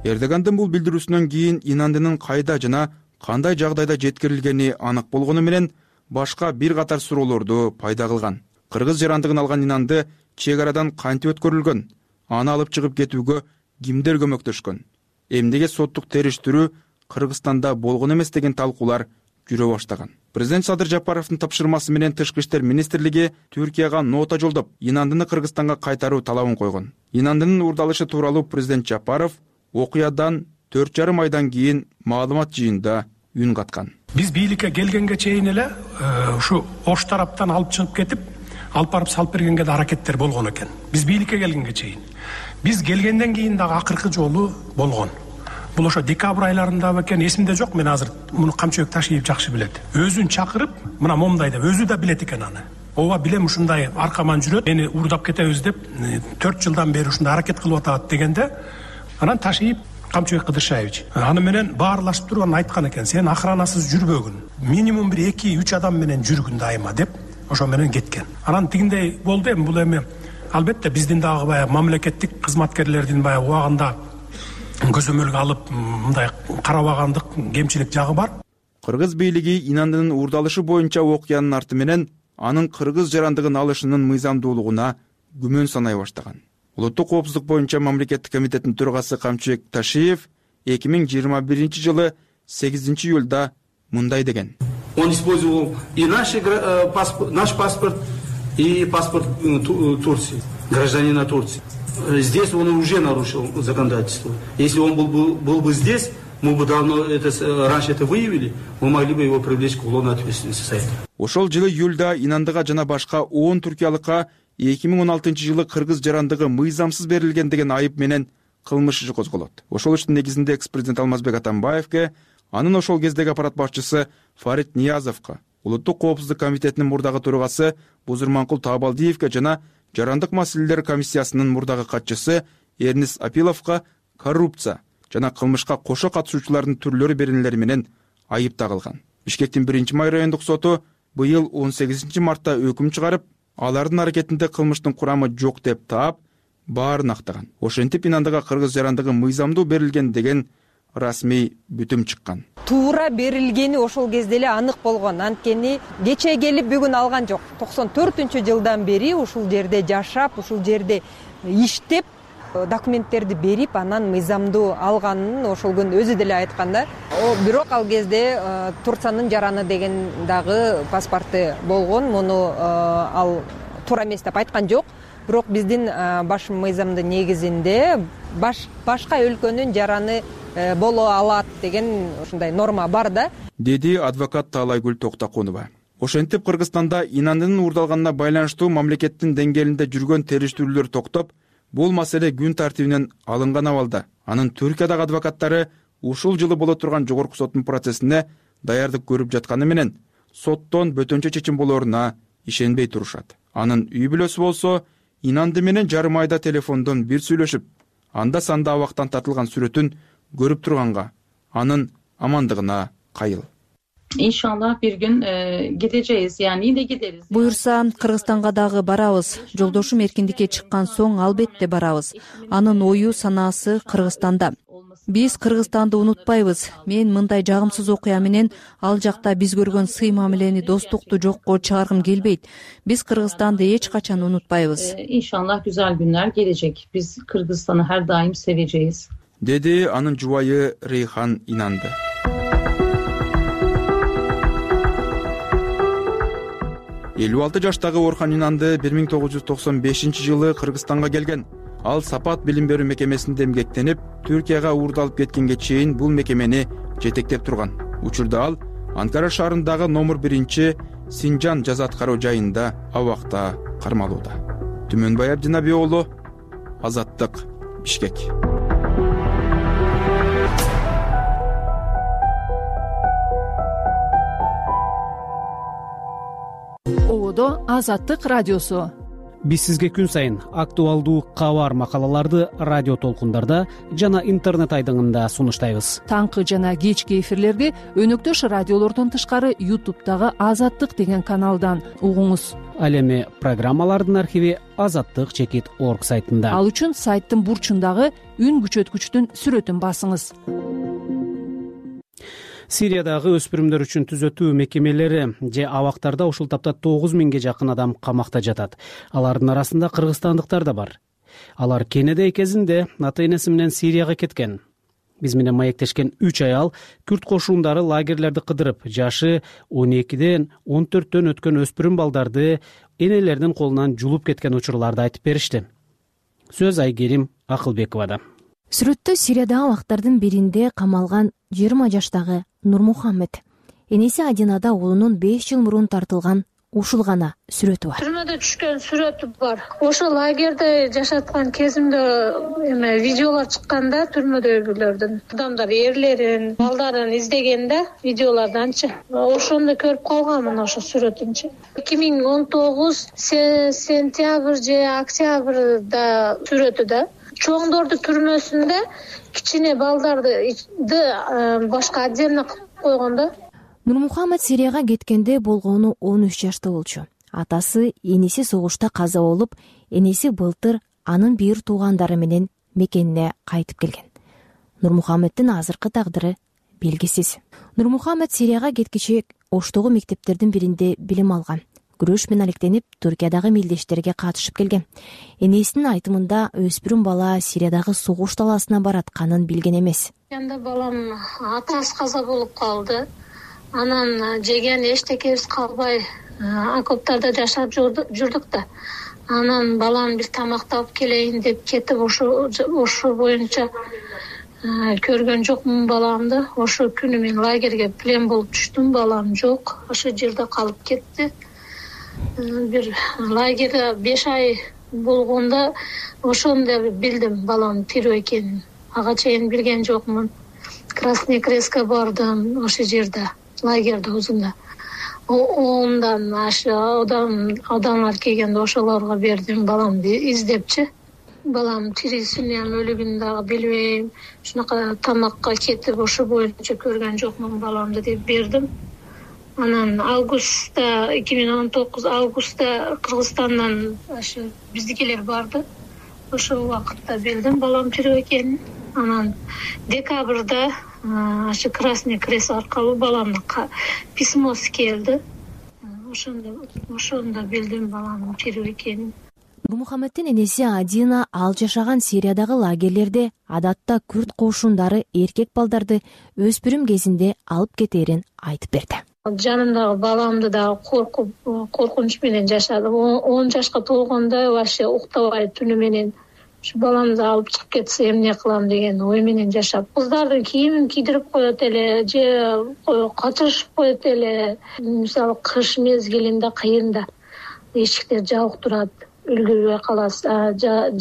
Эрдогандын бул билдирүүсүнөн кийин Инандынын кайда жана кандай жагдайда жеткирилгени анык болгону менен башка бир катар суроолорду пайда кылган. Кыргыз жарандыгын алган Инанды чек арадан кантип өткөрүлгөн? Аны алып чыгып кетүүгө кимдер көмөктөшкөн? Эмнеге соттук териштирүү Кыргызстанда болгон эмес деген талкуулар жүрө баштаган. Президент Садыр Жапаровдун тапшырмасы менен Тышкы иштер министрлиги Түркияга нота жолдоп, Инандыны Кыргызстанга кайтаруу талабын койгон. Инандынын уурдалышы тууралуу президент Жапаров окуядан 4,5 айдан кийин маалымат жыйында үн каткан. Биз бийликке келгенге чейин эле ушу Ош тараптан алып чыгып кетип, алып барып салып бергенге да аракеттер болгон экен. Биз бийликке келгенге чейин. Биз келгенден кийин дагы акыркы жолу болгон. Бул ошо декабрь айларында экен, эсимде жок, мен азыр муну Камчыбек Ташиев жакшы билет. Өзүн чакырып, мына момундай деп, өзү да билет экен аны. Ооба билем ушундай аркаман жүрөт, мени уурдап кетебиз деп 4 жылдан бери ушундай аракет кылып атат дегенде, анан Ташиев Камчыбек Кыдыршаевич аны менен баарлашып туруп айткан экен, сен охранасыз жүрбөгүн, минимум бир 2-3 адам менен жүргүн дайыма деп, ошо менен кеткен. Анан тигиндей болду, эми бул эми албетте биздин дагы баягы мамлекеттик кызматкерлердин баягы убагында көзөмөлгө алып мындай карабагандык, кемчилик жагы бар. Кыргыз бийлиги Инандынын уурдалышы боюнча окуянын арты менен анын кыргыз жарандыгын алышынын мыйзамдуулугуна күмөн санай баштаган. Улуттук коопсуздук боюнча мамлекеттик комитеттин төрагасы Камчыбек Ташиев 2021 жылы 8 июлда мындай деген. Он использовал и наш паспорт, и паспорт Турции, гражданина Турции. Здесь он уже нарушил законодательство. Если он был бы здесь, мы бы давно раньше это выявили, мы могли бы его привлечь к уголовной ответственности за это. Ошол жылы июлда Инандыга жана башка 10 түркиялыкка 2016 жылы кыргыз жарандыгы мыйзамсыз берилген деген айып менен кылмыш иши козголот. Ошол иштин негизинде экс-президент Алмазбек Атамбаевке, анын ошол кездеги аппарат башчысы Фарид Ниязовко, Улуттук коопсуздук комитетинин мурдагы төрагасы Бузурманкул Таабалдиевке жана Жарандык маселелер комиссиясынын мурдагы катчысы Эрнис Апиловко коррупция жана кылмышка кошо катышуучулардын түрлөрү беренелери менен айып тагылган. Бишкектин 1-май райондук соту быйыл 18 мартта өкүм чыгарып, алардын аракетинде кылмыштын курамы жок деп таап, баарын актаган. Ошентип Инандыга кыргыз жарандыгы мыйзамдуу берилген деген расмий бүтүм чыккан. Туура берилгени ошол кезде эле анык болгон. Анткени кече келип бүгүн алган жок. 94-жылдан бери ушул жерде жашап, ушул жерде иштеп, документтерди берип, анан мыйзамдуу алганын ошол күн өзү деле айткан да. Бирок ал кезде Турциянын жараны деген дагы паспорты болгон. Муну ал туура эмес деп айткан жок. Бирок биздин баш мыйзамдын негизинде башка өлкөнүн жараны боло алат деген ушундай норма бар да, деди адвокат Таалайгүл Токтокунова. Ошентип Кыргызстанда Инандынын уурдалганына байланыштуу мамлекеттин деңгээлинде жүргөн териштирүүлөр токтоп, бул маселе күн тартибинен алынган абалда. Анын Түркиядагы адвокаттары ушул жылы боло турган жогорку соттун процессине даярдык көрүп жатканы менен соттон бөтөнчө чечим болоруна ишенбей турушат. Анын үй бүлөсү болсо Инанды менен жарым айда телефондон бир сүйлөшүп, анда санда абактан тартылган сүрөтүн көрүп турганга, анын амандыгына кайыл. иншалла бир күн кетeceğiz, yani yine gideriz. Буюрса Кыргызстанга дагы барабыз. Жолдошум эркиндикке чыккан соң албетте барабыз. Анын ою санаасы Кыргызстанда. Биз Кыргызстанды унутпайбыз. Мен мындай жагымсыз окуя менен ал жакта биз көргөн сый мамилени, достукту жокко чыгаргым келбейт. Биз Кыргызстанды эч качан унутпайбыз. İnşallah güzel günler gelecek. Biz Kırgızistan'ı her daim seveceğiz. Деди анын жубайы Рейхан Инанды. Элүү алты жаштагы Орхан Инанды 1995-жылы Кыргызстанга келген. Ал Сапат билим берүү мекемесинде эмгектенип, Түркияга уурдалып кеткенге чейин бул мекемени жетектеп турган. Учурда ал Анкара шаарындагы номер 1 Синжан жаза аткаруу жайында абакта кармалууда. Түмөнбай Абдинаби уулу, Азаттык, Бишкек. Ободо Азаттык радиосу. Биз сизге күн сайын актуалдуу кабар макалаларды радио толкундарда жана интернет айдыңында сунуштайбыз. Таңкы жана кечки эфирлерди өнөктөш радиолордон тышкары YouTube'дагы Азаттык деген каналдан угуңуз. Ал эми программалардын архиви azattyk.org сайтында. Ал үчүн сайттын бурчундагы үн күчөткүчтүн сүрөтүн басыңыз. Сириядагы өспүрүмдөр үчүн түзөтүү мекемелери же абактарда ушул тапта 9000ге жакын адам камакта жатат. Алардын арасында кыргызстандыктар да бар. Алар кенеде кезинде ата-энеси менен Сирияга кеткен. Биз менен маектешкен 3 аял күрд кошундары лагерлерди кыдырып, жашы 12ден 14төн өткөн өспүрүм балдарды энелердин колунан жулуп кеткен учурларды айтып беришти. Сөз Айгерим Акылбековада. Сүрөттө Сириядагы абактардын биринде камалган 20 жаштагы Нурмухаммед. Энеси Адинада уулунун 5 жыл мурун тартылган ушул гана сүрөтү бар. Түрмөдө түшкөн сүрөтү бар. Ошо лагерде жашаткан кезимде видеолор чыкканда түрмөдөгүлөрдүн адамдар эрлерин, балдарын издегенде видеолорданчы. Ошондо көрүп калганмын ошо сүрөтүнчү. 2019 сентябрь же октябрда сүрөтү да. Чоңдорду түрмөсүндө кичине балдарды башка отдельно кылып койгондо. Нурмухаммед Сирияга кеткенде болгону 13 жашта болчу. Атасы энеси согушта каза болуп, энеси былтыр анын бир туугандары менен мекенине кайтып келген. Нурмухаммеддин азыркы тагдыры белгисиз. Нурмухаммед Сирияга кеткиче Оштогу мектептердин биринде билим алган. Күрөш менен алектенип, Түркиядагы мелдештерге катышып келген. Энесинин айтымында өспүрүм бала Сириядагы согуш талаасына баратканын билген эмес. Анда балам атасы каза болуп калды. Анан жеген эчтекебиз калбай окоптарда жашап жүрдүк да. Анан балам бир тамактап келейин деп кетип ошо боюнча көргөн жокмун баламды. Ошо күнү мен лагерге плен болуп түштүм, балам жок. Ошо жерде калып кетти. Бир лагерде 5 ай болгондо ошондо билдим балам тирүү экенин. Ага чейин билген жокмун. Красный Крестке бардым ошо жерде, лагерде өзүндө. Ондан адамдар келгенде ошолорго бердим баламды издепчи. Балам тирүүсүн өлүгүн дагы билбейм. Шунака тамакка кетип ошо боюнча көргөн жокмун баламды деп бердим. Анан 2019 августта Кыргызстандан ошо биздикилер барды. Ошол убакытта билдим балам тирүү экенин. Анан декабрда ошо Красный Крест аркылуу баламга письмосы келди. Ошондо билдим баламдын тирүү экенин. Нурмухаммеддин энеси Адина ал жашаган Сириядагы лагерлерде адатта күрд кошундары эркек балдарды өспүрүм кезинде алып кетерин айтып берди. Жанымдагы баламды да коркунуч менен жашадым. 10 жашка толгондо вообще уктабай түнү менен баламды алып чыгып кетсе эмне кылам деген ой менен жашап. Кыздардын кийимин кийдирип коет эле же качырышып коет эле. Мисалы кыш мезгилинде кыйында эшиктер жабык турат. Үлгүрбөй каласы.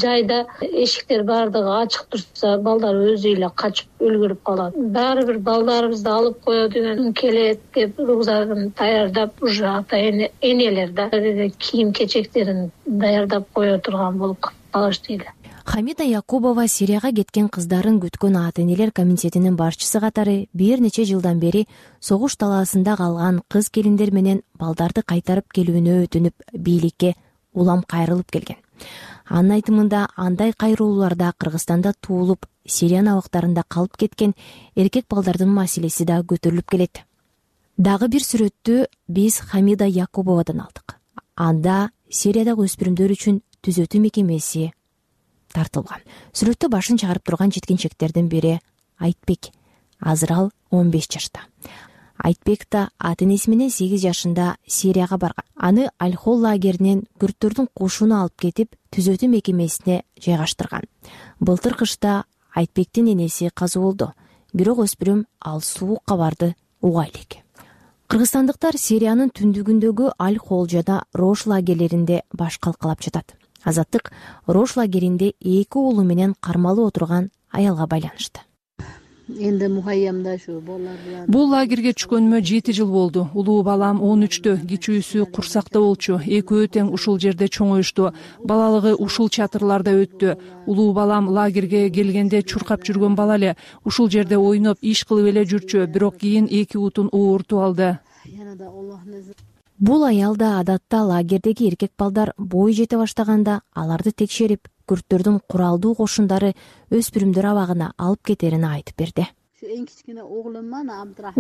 Жайда эшиктер бардыгы ачык турса, балдар өзү эле качып үлгүрүп калат. Баары бир балдарыбызды алып коё деген келет деп рюкзагын даярдап, уже ата-энелер да кийим-кечектерин даярдап кое турган болуп калышты эле. Хамида Якубова Сирияга кеткен кыздарын күткөн ата энелер комитетинин башчысы катары бир нече жылдан бери согуш талаасында калган кыз келиндер менен балдарды кайтарып келүүнү өтүнүп бийликке улам кайрылып келген. Анын айтымында андай кайрылууларда Кыргызстанда туулуп Сириянын абактарында калып кеткен эркек балдардын маселеси да көтөрүлүп келет. Дагы бир сүрөттү биз Хамида Якубовадан алдык. Анда Сириядагы өспүрүмдөр үчүн түзөтүү мекемеси тартылган. Сүрөттө башын чыгарып турган жеткинчектердин бири Айтбек. Азыр ал 15 жашта. Айтбек да ата энеси менен 8 жашында Сирияга барган. Аны Аль-Хол лагеринен күрттөрдүн кушуна алып кетип, түзөтүү мекемесине жайгаштырган. Былтыр кышта Айтбектин энеси каза болду. Бирок өспүрүм ал суук кабарды уга элек. Кыргызстандыктар Сириянын түндүгүндөгү Аль-Хол жана Рош лагерлеринде баш калкалап жатат. Азаттык Рош лагеринде 2 уулу менен кармалып отурган аялга байланышты. Энди мухайямда ушу балдар. Бул лагерге түшкөнүмө 7 жыл болду. Улуу балам 13тө, кичүүсү курсакта болчу. Экөө тең ушул жерде чоңоюшту. Балалыгы ушул чатырларда өттү. Улуу балам лагерге келгенде чуркап жүргөн бала эле. Ушул жерде ойноп, иш кылып эле жүрчү. Бирок кийин 2 утун оорутуп алды. Бул аял да адатта лагердеги эркек балдар бой жете баштаганда аларды текшерип, күрттөрдүн куралдуу кошундары өспүрүмдөр абагына алып кетерин айтып берди. Эң кичкене оглуман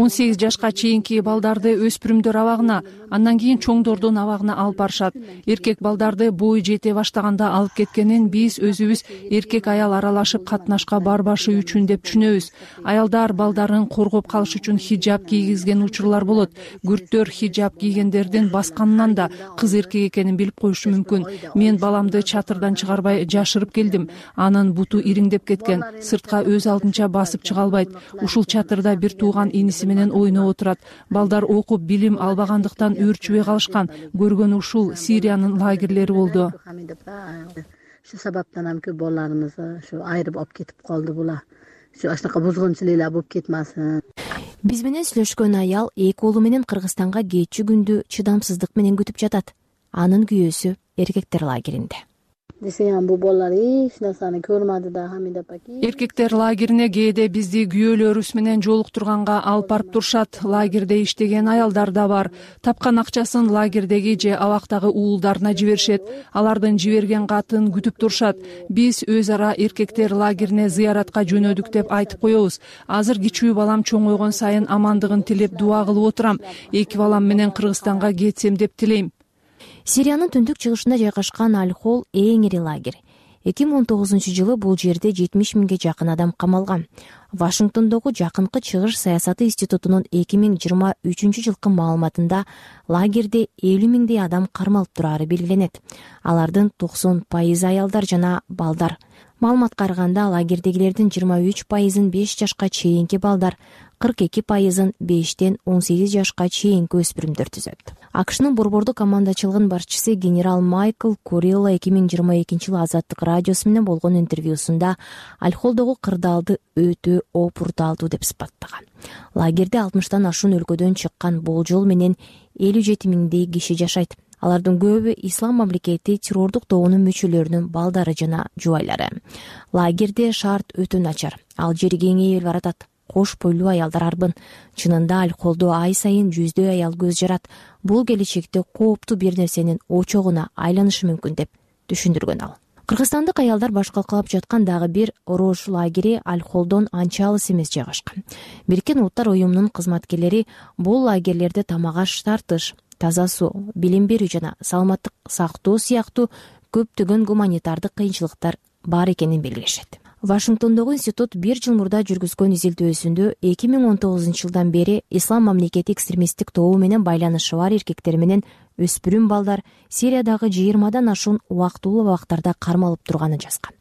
18 жашка чейинки балдарды өспүрүмдөр абагына, андан кийин чоңдордун абагына алып барышат. Эркек балдарды бой жете баштаганда алып кеткенин биз өзүбүз эркек аял аралашып катнашка барбашы үчүн деп түшүнөбүз. Аялдар балдарын коргоп калыш үчүн хиджаб кийгизген учурлар болот. Күрттөр хиджаб кийгендердин басканынан да кыз эркек экенин билип коюшу мүмкүн. Мен баламды чатырдан чыгарбай жашырып келдим. Анын буту ириңдеп кеткен, сыртка өз алдынча басып чыга албайт. Ушул чатырда бир тууган иниси менен ойноп отурат. Балдар окуп билим албагандыктан өөрчүбөй калышкан. Көргөн ушул Сириянын лагерлери болду. Шу сабаптан ham көп балдарыбыз шу айрып алып кетип калды була. Шу ашнака бузгунчулуктар болуп кетмесин. Биз менен сүйлөшкөн аял 2 уулу менен Кыргызстанга кетчү күндү чыдамсыздык менен күтүп жатат. Анын күйөөсү эркектер лагеринде. Десем бу балдар эч нерсени көрмөдү да Хамида паки. Эркектер лагерине кээде бизди күйөөлөрүбүз менен жолуктурганга алып барып турушат. Лагерде иштеген аялдар да бар. Тапкан акчасын лагердеги же абактагы уулдарына жиберишет. Алардын жиберген катын күтүп турушат. Биз өз ара эркектер лагерине зыяратка жөнөдүк деп айтып коебуз. Азыр кичүү балам чоңойгон сайын амандыгын тилеп дуа кылып отурам. 2 балам менен Кыргызстанга кетсем деп тилейм. Сириянын түндүк чыгышында жайгашкан Аль-Хол эң ири лагерь. 2019-жылы бул жерде 70 миңге жакын адам камалган. Вашингтондогу Жакынкы чыгыш саясаты институтунун 2023-жылкы маалыматында лагерде 50 миңдей адам кармалып турары белгиленет. Алардын 90% аялдар жана балдар. Маалыматка караганда лагердегилердин 23% 5 жашка чейинки балдар, 42% 5-тен 18 жашка чейинки өспүрүмдөр түзөт. АКШнын борбордук командачылыгынын башчысы генерал Майкл Курилла 2022-жылы Азаттык радиосу менен болгон интервьюсунда Аль-Холдогу кырдаалды өтө опурталдуу деп сыпаттаган. Лагерде 60тан ашуун өлкөдөн чыккан болжол менен 57 миңдей киши жашайт. Алардын көбү ислам мамлекети террордук тобунун мүчөлөрүнүн балдары жана жубайлары. Лагерде шарт өтө начар. Ал жер кеңейип баратат. Кош бойлуу аялдар арбын. Чынында Аль-Холдо ай сайын 100 аял көз жарат. Бул келечекте кооптуу бир нерсенин очогуна айланышы мүмкүн деп түшүндүргөн ал. Кыргызстандык аялдар баш калкалап жаткан дагы бир Рош лагери Аль-Холдон анча алыс эмес жайгашкан. Бириккен Улуттар уюмунун кызматкерлери бул лагерлерде тамак-аш тартыш, таза суу, билим берүү жана саламаттык сактоо сыяктуу көптөгөн гуманитардык кыйынчылыктар бар экенин белгилешет. Вашингтондогу институт 1 жыл мурда жүргүзгөн изилдөөсүндө 2019-жылдан бери ислам мамлекети экстремисттик тобу менен байланышы бар эркектер менен өспүрүм балдар Сириядагы 20дан ашуун убактылуу абактарда кармалып турганын жазган.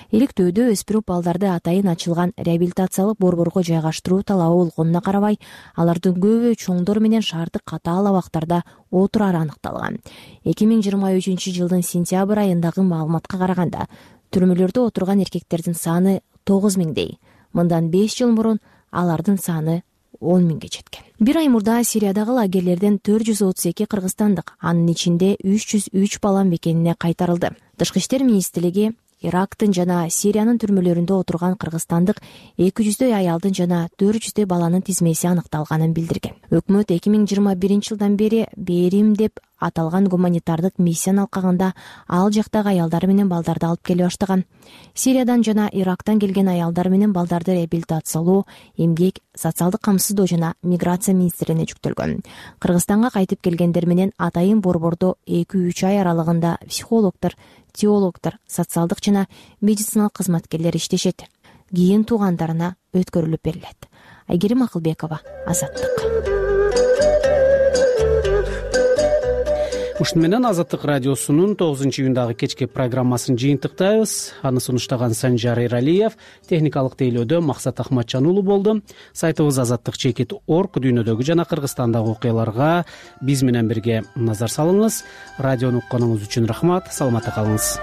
Иликтөөдө өспүрүм балдарды атайын ачылган реабилитациялык борборго жайгаштыруу талабы болгонуна карабай, алардын көбү чоңдор менен шаардык катаал абактарда отурары аныкталган. 2023-жылдын сентябрь айындагы маалыматка караганда, түрмөлөрдө отурган эркектердин саны 9 миңдей. Мындан 5 жыл мурун алардын саны 10 миңге жеткен. Бир ай мурда Сириядагы лагерлерден 432 кыргызстандык, анын ичинде 303 бала мекенине кайтарылды. Тышкы иштер министрлиги Ирактын жана Сириянын түрмөлөрүндө отурган кыргызстандык 200дөй аялдын жана 400дөй баланын тизмеси аныкталганын билдирген. Өкмөт 2021 жылдан бери Берим деп аталган гуманитардык миссияны алкагында ал жактагы аялдар менен балдарды алып келе баштаган. Сириядан жана Ирактан келген аялдар менен балдарды реабилитациялоо, эмгек, социалдык камсыздоо жана миграция министрине жүктөлгөн. Кыргызстанга кайтып келгендер менен атайын борбордо 2-3 ай аралыгында психологдор, теологдор, социалдык жана медициналык кызматкерлер иштешет. Кийин туугандарына өткөрүлүп берилет. Айгерим Акылбекова, Азаттык. Ушуну менен Азаттык радиосунун 9-июндагы кечки программасын жыйынтыктайбыз. Аны сунуштаган Санжар Эралиев, техникалык тейлөөдө Максат Ахматжан уулу болду. Сайтыбыз azаттык.org дүйнөдөгү жана Кыргызстандагы окуяларга биз менен бирге назар салыңыз. Радиону укканыңыз үчүн рахмат. Саламатта калыңыз.